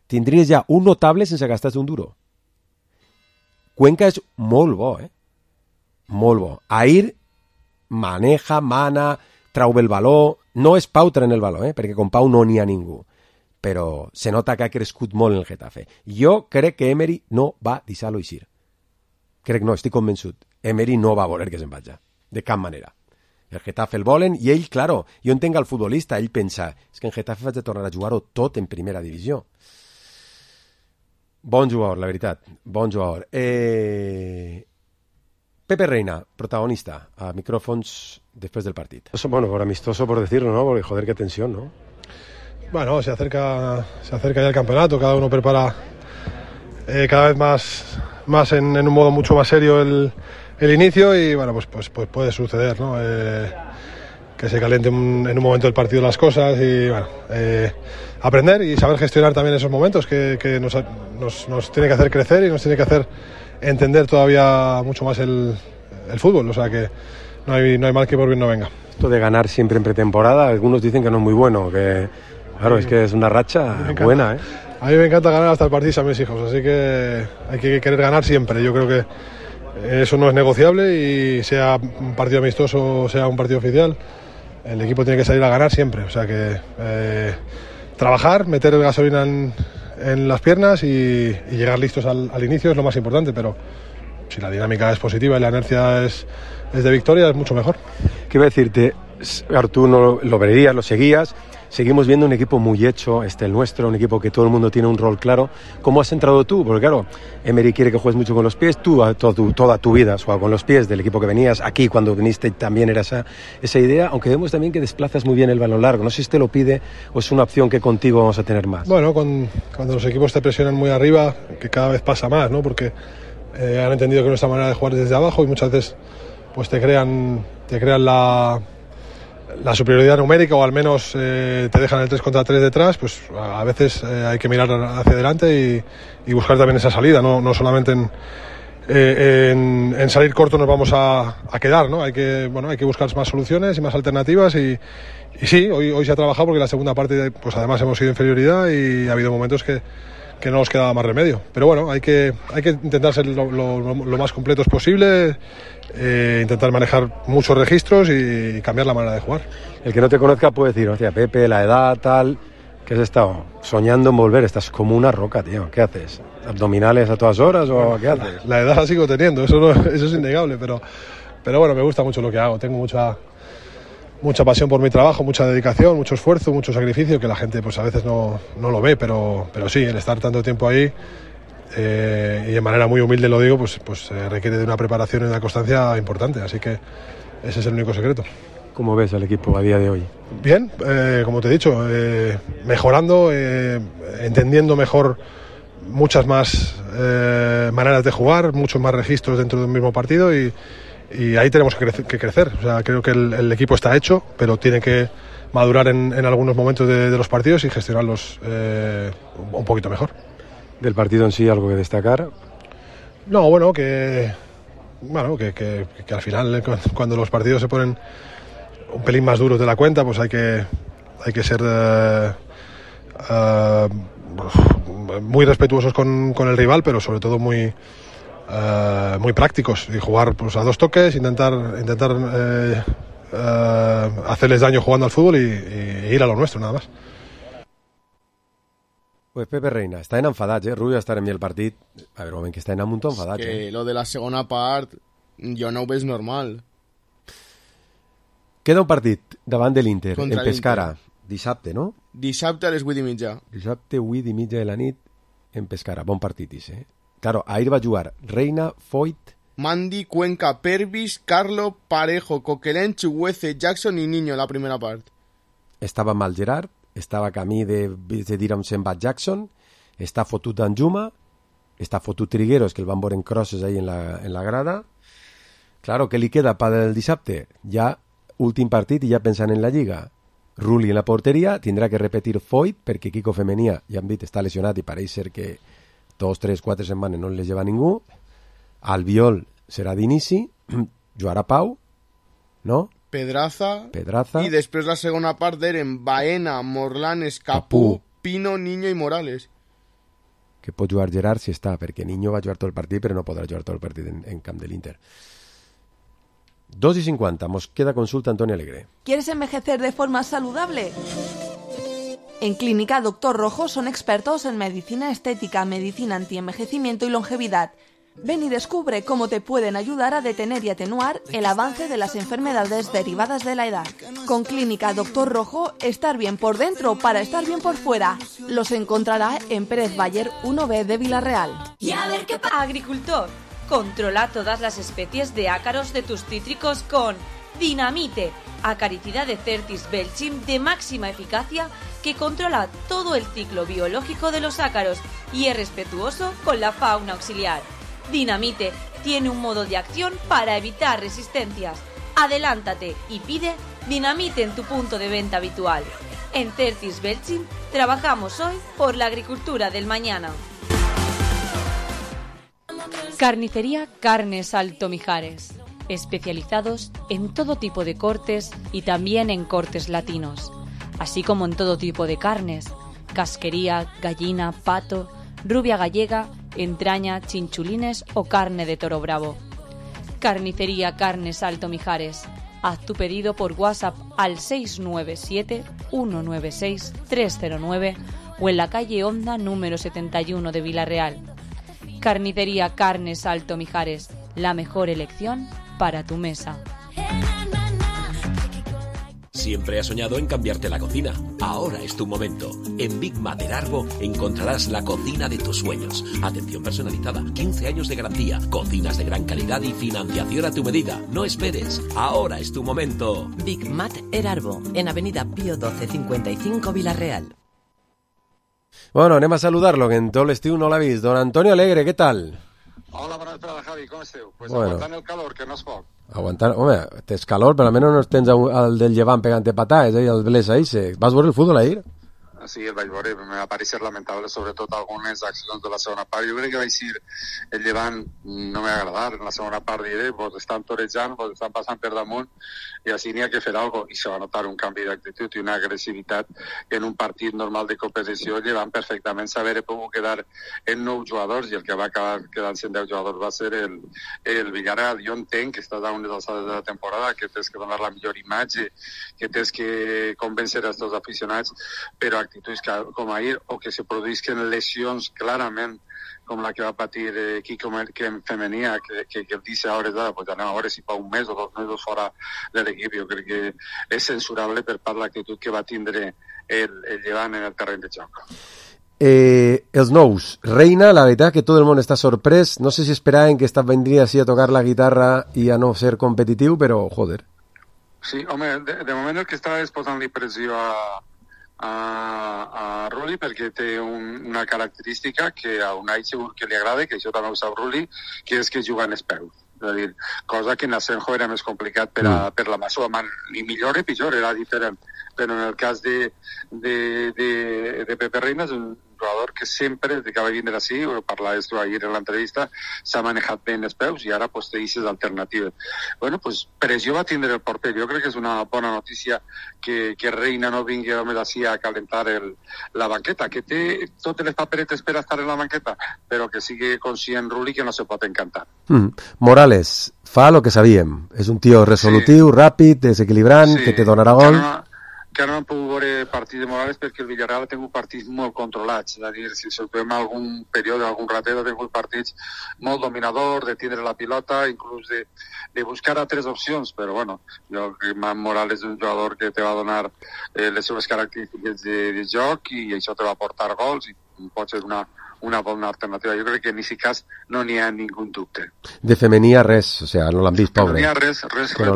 Tindries ja un notable sense gastar-te un duro. Cuenca és molt bo, molt bo. Ahir maneja, mana, trau el valor. No és Pau traient el valor, perquè con Pau no n'hi ha ningú. Però se nota que ha crescut molt en el Getafe. Jo crec que Emery no va deixar-lo eixir. Crec no, estic convençut. Emery no va voler que se'n vagi, de cap manera. El Getafe el volen i ell, claro, jo entenc el futbolista, ell pensa, és que en Getafe vaig a tornar a jugar-ho tot en primera divisió. Bon jugador, la veritat, bon jugador. Pepe Reina, protagonista, a micrófonos después del partido. Bueno, por amistoso por decirlo, ¿no? Porque joder, qué tensión, ¿no? Bueno, se acerca ya el campeonato, cada uno prepara cada vez más en un modo mucho más serio el inicio y bueno, pues puede suceder, ¿no? Que se caliente en un momento del partido las cosas y bueno, aprender y saber gestionar también esos momentos que nos tiene que hacer crecer y nos tiene que hacer entender todavía mucho más el fútbol, o sea que no hay mal que por bien no venga. Esto de ganar siempre en pretemporada, algunos dicen que no es muy bueno, que claro, es que es una racha buena, A mí me encanta ganar hasta el partido a mis hijos, así que hay que querer ganar siempre. Yo creo que eso no es negociable y sea un partido amistoso o sea un partido oficial, el equipo tiene que salir a ganar siempre. O sea que trabajar, meter gasolina en las piernas y llegar listos al inicio es lo más importante, pero si la dinámica es positiva y la inercia es de victoria, es mucho mejor. ¿Qué iba a decirte? Tú no lo verías, lo seguías. Seguimos viendo un equipo muy hecho, el nuestro, un equipo que todo el mundo tiene un rol claro. ¿Cómo has entrado tú? Porque claro, Emery quiere que juegues mucho con los pies, tú toda tu vida has jugado con los pies del equipo que venías. Aquí cuando viniste también era esa idea, aunque vemos también que desplazas muy bien el balón largo. No sé si te lo pide o es una opción que contigo vamos a tener más. Bueno, cuando los equipos te presionan muy arriba, que cada vez pasa más, ¿no? Porque han entendido que nuestra manera de jugar es desde abajo y muchas veces pues te crean la superioridad numérica o al menos te dejan el 3 contra 3 detrás, pues a veces hay que mirar hacia adelante y buscar también esa salida, no solamente en salir corto nos vamos a quedar, ¿no? Hay que buscar más soluciones y más alternativas y sí, hoy se ha trabajado porque en la segunda parte pues además hemos sido inferioridad y ha habido momentos que no nos quedaba más remedio, pero bueno, hay que intentar ser lo más completos posible, intentar manejar muchos registros y cambiar la manera de jugar. El que no te conozca puede decir, hostia, Pepe, la edad, tal, que has estado soñando en volver, estás como una roca, tío, ¿qué haces? ¿Abdominales a todas horas o qué haces? La edad la sigo teniendo, eso es innegable, pero bueno, me gusta mucho lo que hago, tengo mucha pasión por mi trabajo, mucha dedicación, mucho esfuerzo, mucho sacrificio, que la gente pues a veces no lo ve, pero sí, el estar tanto tiempo ahí y de manera muy humilde lo digo, pues requiere de una preparación y una constancia importante, así que ese es el único secreto. ¿Cómo ves al equipo a día de hoy? Bien, como te he dicho, mejorando, entendiendo mejor muchas más maneras de jugar, muchos más registros dentro de un mismo partido y ahí tenemos que crecer. O sea, creo que el equipo está hecho, pero tiene que madurar en algunos momentos de los partidos y gestionarlos un poquito mejor. ¿Del partido en sí algo que destacar? No, bueno, que al final cuando los partidos se ponen un pelín más duros de la cuenta, pues hay que ser muy respetuosos con el rival, pero sobre todo muy prácticos y jugar pues a dos toques, intentar hacerles daño jugando al fútbol y ir a lo nuestro, nada más. Pues Pepe Reina, estaven enfadats, Rubio estar en mi el partit. A veure, un moment, que estaven un munt enfadats, que lo de la segona part jo no ho veig normal. Queda un partit davant de l'Inter, Contra en Pescara, dissabte, no? Dissabte a les 8:30. Dissabte, 8:30 de la nit, en Pescara. Bon partit, Claro, ahir va jugar Reina, Foyt, Mandi, Cuenca, Pervis, Carlo, Parejo, Coquelin, Chuguece, Jackson i Niño la primera part. Estava mal Gerard, estava camí de dir on se'n va Jackson, està fotut Danjuma, està fotut Trigueros, que el van veure en crosses ahí en la grada. Claro, què li queda per el dissabte? Ja últim partit i ja pensant en la Lliga. Rulli en la porteria, tindrà que repetir Foyt, perquè Kiko Femenia, ja hem dit, està lesionat i pareix ser que 2, 3, 4 setmanes no les lleva ningú. Albiol serà d'inici, jugarà Pau, no? Pedraza. Pedraza. I després la segona part eren Baena, Morlanes, Capú, Pino, Niño i Morales. Que pot jugar Gerard si està, perquè Niño va jugar tot el partit, però no podrà jugar tot el partit en camp de l'Inter. 2:50, mos queda consulta Antonio Alegre. ¿Quieres envejecer de forma saludable? En Clínica Doctor Rojo son expertos en medicina estética, medicina antienvejecimiento y longevidad. Ven y descubre cómo te pueden ayudar a detener y atenuar el avance de las enfermedades derivadas de la edad. Con Clínica Doctor Rojo, estar bien por dentro para estar bien por fuera. Los encontrará en Pérez Bayer 1B de Villarreal. Y a ver qué pasa. Agricultor, controla todas las especies de ácaros de tus cítricos con Dinamite, acaricida de Certis Belchim de máxima eficacia que controla todo el ciclo biológico de los ácaros y es respetuoso con la fauna auxiliar. Dinamite tiene un modo de acción para evitar resistencias. Adelántate y pide Dinamite en tu punto de venta habitual. En Certis Belchim trabajamos hoy por la agricultura del mañana. Carnicería Carnes Alto Mijares, especializados en todo tipo de cortes y también en cortes latinos, así como en todo tipo de carnes, casquería, gallina, pato, rubia gallega, entraña, chinchulines o carne de toro bravo. Carnicería Carnes Alto Mijares. Haz tu pedido por WhatsApp al 697-196-309 o en la calle Honda número 71 de Villarreal. Carnicería Carnes Alto Mijares, la mejor elección para tu mesa. Siempre has soñado en cambiarte la cocina. Ahora es tu momento. En Big Mater Arbo encontrarás la cocina de tus sueños. Atención personalizada, 15 años de garantía, cocinas de gran calidad y financiación a tu medida. No esperes. Ahora es tu momento. Big Mater Arbo, en Avenida Pío 12, 55, Villarreal. Bueno, anem a saludar-lo, que en tot l'estiu no l'ha vist. Don Antonio Alegre, què tal? Hola, bona vesprada, Javi, com esteu? Pues bueno, aguantant el calor, que no és poc. Aguantant, home, tens calor, però almenys no tens el del Llevant pegant-te patades, el Blesa ahí. Vas veure el futbol ahir? Sí, el vaig veure, me va parecer lamentable, sobretot algunes accions de la segona part. Jo crec que vaig dir, el Llevant no m'ha agradat, en la segona part diré, vos estan torejant, vos estan passant per damunt, i així n'hi ha que fer alguna cosa, i se va notar un canvi d'actitud i una agressivitat en un partit normal de competició. El Llevant perfectament s'haver pogut quedar en 9 jugadors, i el que va acabar quedant-se en 10 jugadors va ser el Villarreal. Jo entenc que estàs a unes alçades de la temporada, que tens que donar la millor imatge, que tens que convèncer els teus aficionats, però actituds com ahir, o que se produïsquen lesions clarament, com la que va patir Quico en femenia, que el dice a hores d'ara, pues anem a veure si fa un mes o 2 mesos fora de l'equip. Jo crec que és censurable per part de l'actitud que va tindre el Llevant en el terreny de joc. Els nous, Reina, la veritat que tot el món està sorprès, no sé si esperaven que vendria així a tocar la guitarra i a no ser competitiu, però joder. Sí, home, de moment el que està és posant-li pressió a Rulli, perquè té una característica que a Unai segur que li agrada, que això també ho sap Rulli, que és que juga en els peus. És a dir, cosa que en Asenjo era més complicat per la Masó, ni millor ni pitjor, era diferent. Però en el cas de Pepe Reina és un jugador que sempre, des que va vindre així, ho parlaves tu ahir en l'entrevista, s'ha manejat bé en els peus i ara pues, té aquestes alternatives. Bueno, pues pressió va tindre el porter. Jo crec que és una bona notícia que Reina no vingui només així a calentar la banqueta, que té totes les paperetes per estar en la banqueta, però que sigui conscient Rulli que no se pot encantar. Morales fa el que sabíem. És un tio resolutiu, ràpid, desequilibrant, que te donarà gol. Que no hem pogut veure partit de Morales perquè el Villarreal ha tingut partits molt controlats, és a dir, si trobem algun període, algun ratet, ha tingut partits molt dominador, de tindre la pilota, inclús de buscar altres opcions, però bueno, jo crec que Morales és un jugador que te va donar les seves característiques de joc i això te va portar gols i pot ser una bona alternativa. Jo crec que en aquest cas no n'hi ha ningú dubte. De femenia res, o sea, no l'han vist, pobre. No n'hi ha res, no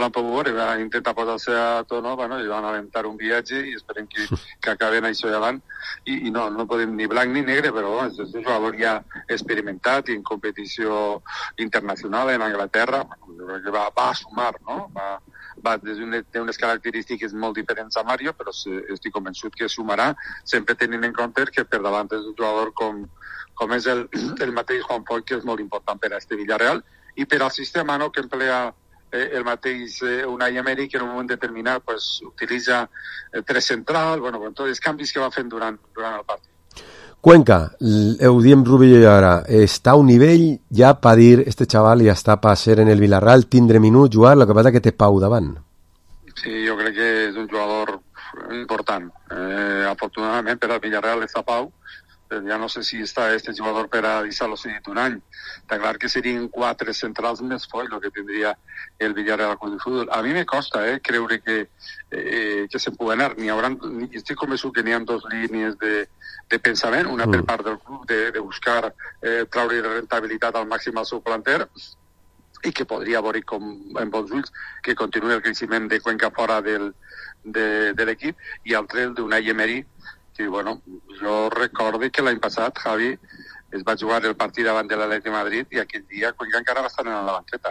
l'han pogut veure, va intentar posar-se a tono, bueno, i van alentar un viatge i esperem que acaben això davant, i no podem ni blanc ni negre, però és un jugador ja experimentat i en competició internacional en Anglaterra, que va a sumar, no? Té unes característiques molt diferents a Mario, però estic convençut que sumarà, sempre tenint en compte que per davant és un jugador com és el mateix Juan Foyt, que és molt important per a este Villarreal i per al sistema que emplea el mateix Unai Emery, que en un moment determinat pues, utilitza 3 central, bueno, con tots els canvis que va fent durant el partit. Cuenca, ho diem Rubio i ara, està a un nivell ja per dir, este xaval ja està per ser en el Villarreal, tindre minuts, jugar, el que passa que té Pau davant. Sí, jo crec que és un jugador important. Afortunadament per al Villarreal està Pau, ja no sé si està este jugador per a deixar-lo seguit un any. Està clar que serien 4 centrals més fort el que tindria el Villarreal Club de Fútbol. A mi me costa creure que se'n pugui anar. Estic convençut que n'hi ha 2 línies de pensament, una per part del club de buscar traure rentabilitat al màxim al seu planter, i que podria veure com en bons ulls que continuï el creixement de Cuenca fora de l'equip, i altre el d'Unai Emery, que bueno, jo recordo que l'any passat Javi es va jugar el partit davant de l'Atlètic de Madrid i aquell dia Cuenca encara va estar en la banqueta,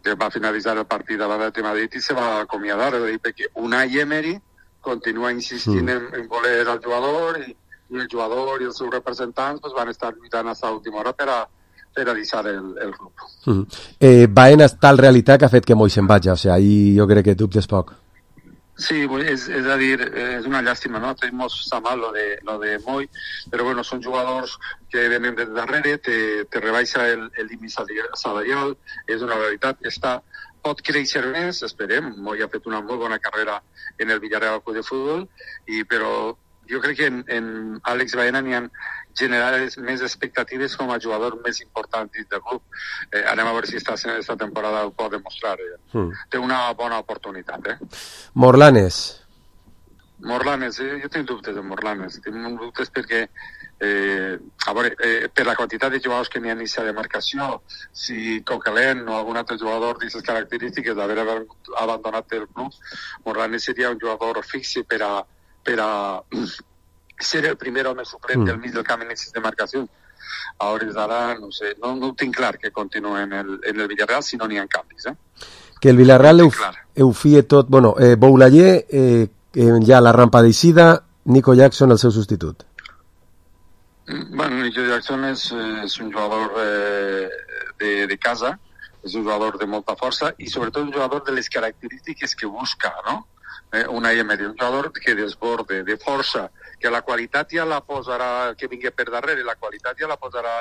que va finalitzar el partit davant de l'Atlètic de Madrid i se va acomiadar, perquè Unai Emery continua insistint en voler el jugador, i el jugador i els seus representants pues, van estar lluitant fins a l'última hora per a deixar el club. Baena és tal realitat que ha fet que Moi se'n vagi, o sigui, ahí jo crec que dubtes poc. Sí, és a dir, és una llàstima, no? Tenim molt mal lo de Moi, però bueno, són jugadors que venen de darrere, te rebaixa el límit salarial, és una realitat, pot créixer més, esperem. Moi ha fet una molt bona carrera en el Villarreal Club de Fútbol, però jo crec que en Àlex Baena n'hi ha generades més expectatives com a jugador més important dins del club. Anem a veure si esta temporada ho pot demostrar. Té una bona oportunitat. Morlanes, jo tinc dubtes de Morlanes. Tinc dubtes perquè a veure, per la quantitat de jugadors que n'hi ha iniciat de marcació, si Coquelin o algun altre jugador d'aquestes característiques d'haver abandonat el club, Morlanes seria un jugador fixe per a ser el primer home suplent del mig del camp en de marcació. A hores d'ara, no sé, no ho tinc clar que continuï en el Villarreal si no n'hi ha canvis. Que el Villarreal ho fie tot... Bueno, Boulaye, ja la rampa d'eixida, Nico Jackson el seu substitut. Bueno, Nico Jackson és un jugador de casa, és un jugador de molta força i sobretot un jugador de les característiques que busca, no? Unai Emery, un jugador que desborde, de força, que la qualitat ja la posarà, que vingui per darrere, la qualitat ja la posarà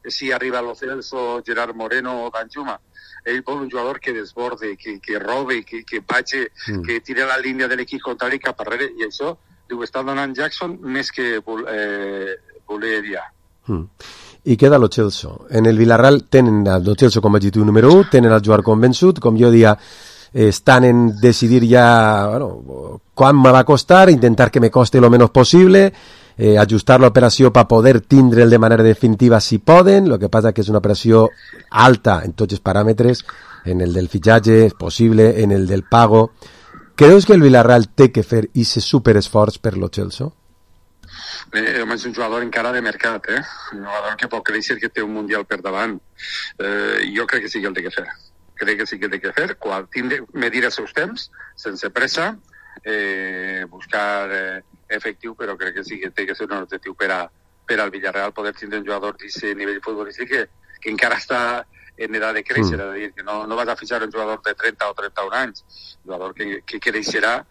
si arriba Lo Celso, Gerard Moreno o Danjuma. Ell vol un jugador que desborde, que robe, que vagi, que tire la línia de l'equip contrari cap darrere, i això ho està donant Jackson més que voleria. I queda Lo Celso. En el Villarreal tenen el Lo Celso com a objectiu número 1, tenen el jugador convençut, com jo dia están en decidir ya, bueno, cuán me va a costar, intentar que me coste lo menos posible, ajustar la operació per poder tindre'l de manera definitiva si poden. Lo que passa que és una operació alta en tots els paràmetres, en el del fitxatge, és possible, en el del pago. Creus que el Villarreal té que fer ese superesforç per Lo Celso? És un jugador encara de mercat, un jugador que pot créixer, que té un mundial per davant. Jo crec que sí que el té que fer. Crec que sí que té que fer, quan medir els seus temps, sense pressa, buscar efectiu, però crec que sí que té que ser un objectiu per al Villarreal poder tindre un jugador d'aquest nivell futbolístic que encara està en edat de créixer, és a dir, que no vas a fitxar un jugador de 30 o 31 anys, un jugador que creixerà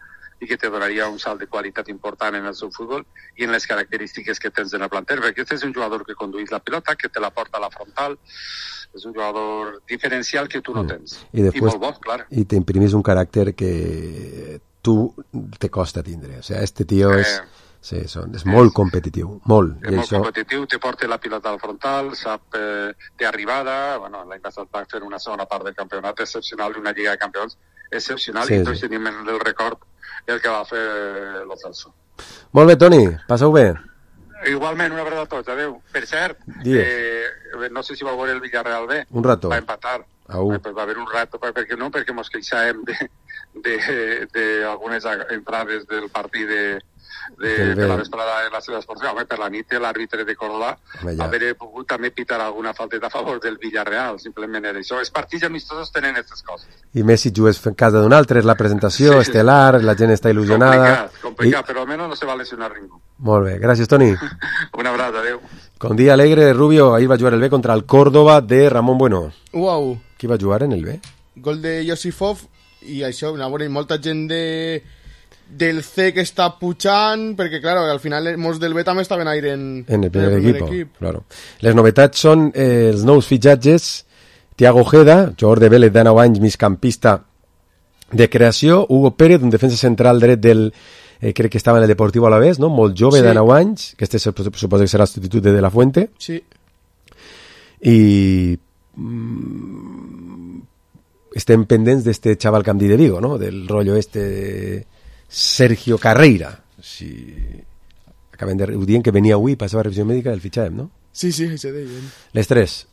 i que te donaria un salt de qualitat important en el seu futbol i en les característiques que tens en el planter, perquè aquest és un jugador que condueix la pilota, que te la porta a la frontal, és un jugador diferencial que tu no tens. I molt bo, clar. I t'imprimís un caràcter que tu te costa tindre. O sigui, este tio és molt competitiu, molt. És molt competitiu, te porta la pilota al frontal, sap té arribada, bueno, l'any passat va fer una segona part del campionat excepcional, una lliga de campions excepcional, i tots tenim en el record el que va fer Lo Celso. Molt bé, Toni, passeu bé. Igualment, una abraçada a tots, adeu. Per cert, no sé si va veure el Villarreal bé. Un rato. Va empatar. Va haver un rato, perquè mos queixàvem d'algunes entrades del partit de la vesprada en la seva esportiva. Home, per la nit l'àrbitre de Córdoba haver pogut també pitar alguna falteta a favor del Villarreal, simplement era això. Els partits amistosos tenen aquestes coses. I més si jugues en casa d'un altre, és la presentació, estel·lar, la gent està il·lusionada. Complicat, però almenys no se va lesionar ningú. Molt bé, gràcies, Toni. Un abraç, adeu. Con día alegre, Rubio, ahí va a jugar el B contra el Córdoba de Ramón Bueno. Wow. ¿Qui va a jugar en el B? gol de Josifov, i això, a veure, molta gent del C que està pujant, perquè, clar, al final molts del B també estaven aire en el primer equip. Claro. Les novetats són els nous fitxatges: Thiago Ojeda, jugador de Vélez de 9 anys, migcampista de creació; Hugo Pérez, un defensa central dret del... crec que estava en el Deportivo Alavés, no? Molt jove, de 9 anys, que este suposa que serà el substitut de la Fuente. Sí. I estem pendents d'este xaval que em di de Vigo, no? Del rotllo de Sergio Carreira. Si acaben de... Ho diuen que venia avui, passava revisió mèdica, el fitxàvem, no? Sí, això deien. Les 3.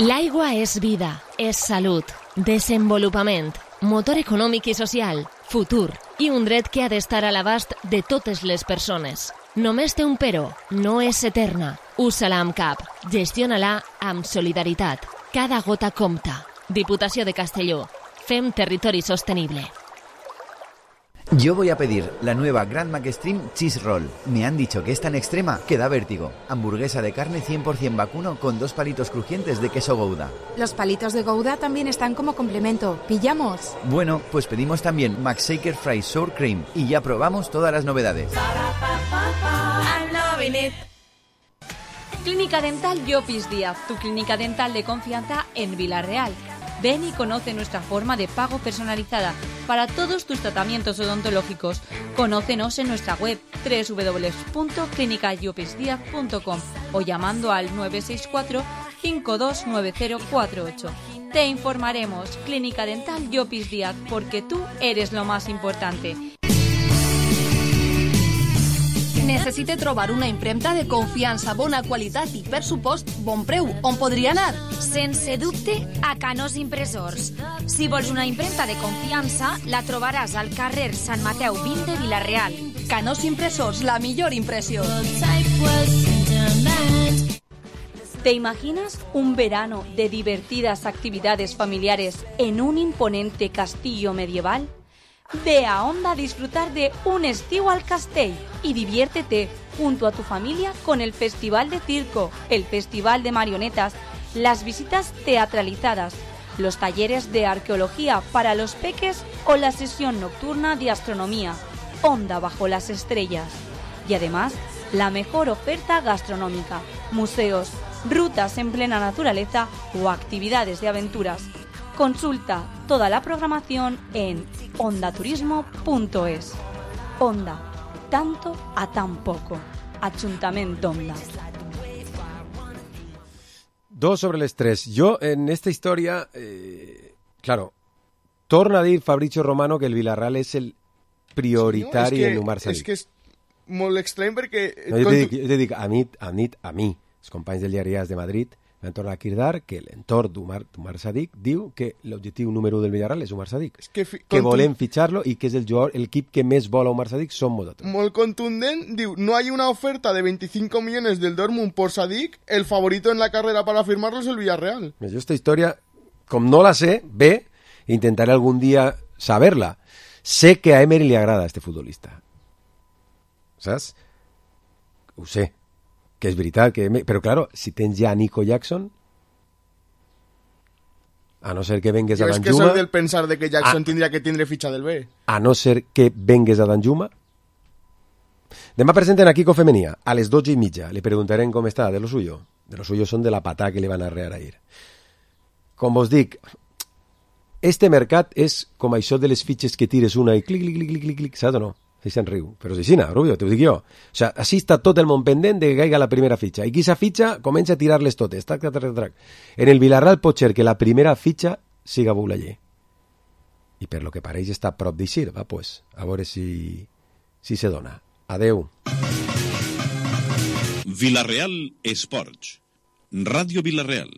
L'aigua és vida, és salut, desenvolupament, motor econòmic i social, futur i un dret que ha d'estar a l'abast de totes les persones. Només té un però, no és eterna. Usa-la amb cap, gestiona-la amb solidaritat. Cada gota compta. Diputació de Castelló. Fem territori sostenible. Yo voy a pedir la nueva Grand McStream Cheese Roll. Me han dicho que es tan extrema que da vértigo. Hamburguesa de carne 100% vacuno con 2 palitos crujientes de queso Gouda. Los palitos de Gouda también están como complemento. ¿Pillamos? Bueno, pues pedimos también McShaker Fries Sour Cream y ya probamos todas las novedades. Clínica Dental Llopis Díaz, tu clínica dental de confianza en Vila-real. Ven y conoce nuestra forma de pago personalizada para todos tus tratamientos odontológicos. Conócenos en nuestra web www.clinicallopisdiaz.com o llamando al 964 529048. Te informaremos. Clínica Dental Llopis Díaz, porque tú eres lo más importante. Necessite trobar una impremta de confiança, bona qualitat i, per supost, bon preu. On podria anar? Sense dubte, a Canós Impressors. Si vols una impremta de confiança, la trobaràs al carrer Sant Mateu 20 de Vila-real. Canós Impressors, la millor impressió. ¿Te imaginas un verano de divertidas actividades familiares en un imponente castillo medieval? Ve a Onda a disfrutar de un estiu al Castell y diviértete junto a tu familia con el Festival de Circo, el Festival de Marionetas, las visitas teatralizadas, los talleres de arqueología para los peques o la sesión nocturna de astronomía, Onda bajo las estrellas. Y además, la mejor oferta gastronómica, museos, rutas en plena naturaleza o actividades de aventuras. Consulta toda la programación en ondaturismo.es. Onda, tanto a tan poco. Ayuntamiento Onda. 2 sobre les 3. Jo, en esta història, claro, torna a dir Fabrizio Romano que el Villarreal és el prioritari en Umar Sadik. És que és molt estrany perquè... No, jo te dic, a mi, els companys del diari AS de Madrid, van tornar a cridar que l'entorn d'Umar Sadik diu que l'objectiu número 1 del Villarreal és Umar Sadik. Que volem fitxar-lo i que és l'equip que més vol a Umar Sadik som nosaltres. Molt contundent, diu, no hay una oferta de 25 millones del Dortmund por Sadik, el favorito en la carrera para firmarlo es el Villarreal. Jo esta història, com no la sé, bé, intentaré algun dia saber-la. Sé que a Emery li agrada este futbolista. Saps? Ho sé. Que és veritat, però claro, si tens ja Nico Jackson, a no ser que vengues a Danjuma... Jo és que soy del pensar de que Jackson tindria que tindre fitxa del B. A no ser que vengues a Danjuma. Demà presenten a Kiko Femenia, a les 12:30. Le preguntarem com està, de lo suyo. De lo suyo són de la patà que li van arrear ahir. Com vos dic, este mercat és com això de les fitxes que tires una i clic, clic, clic, clic, clic, saps o no? Si se'n riu, però si no, Rubio, t'ho dic jo. O sigui, així està tot el món pendent de que caiga la primera fitxa. I qui sa fitxa comença a tirar-les totes. Trac, trac, trac, trac. En el Villarreal pot ser que la primera fitxa siga Boulaye. I per lo que pareix està a prop d'eixir, va, pues, a veure si se dona. Adeu. Villarreal Esports. Ràdio Villarreal.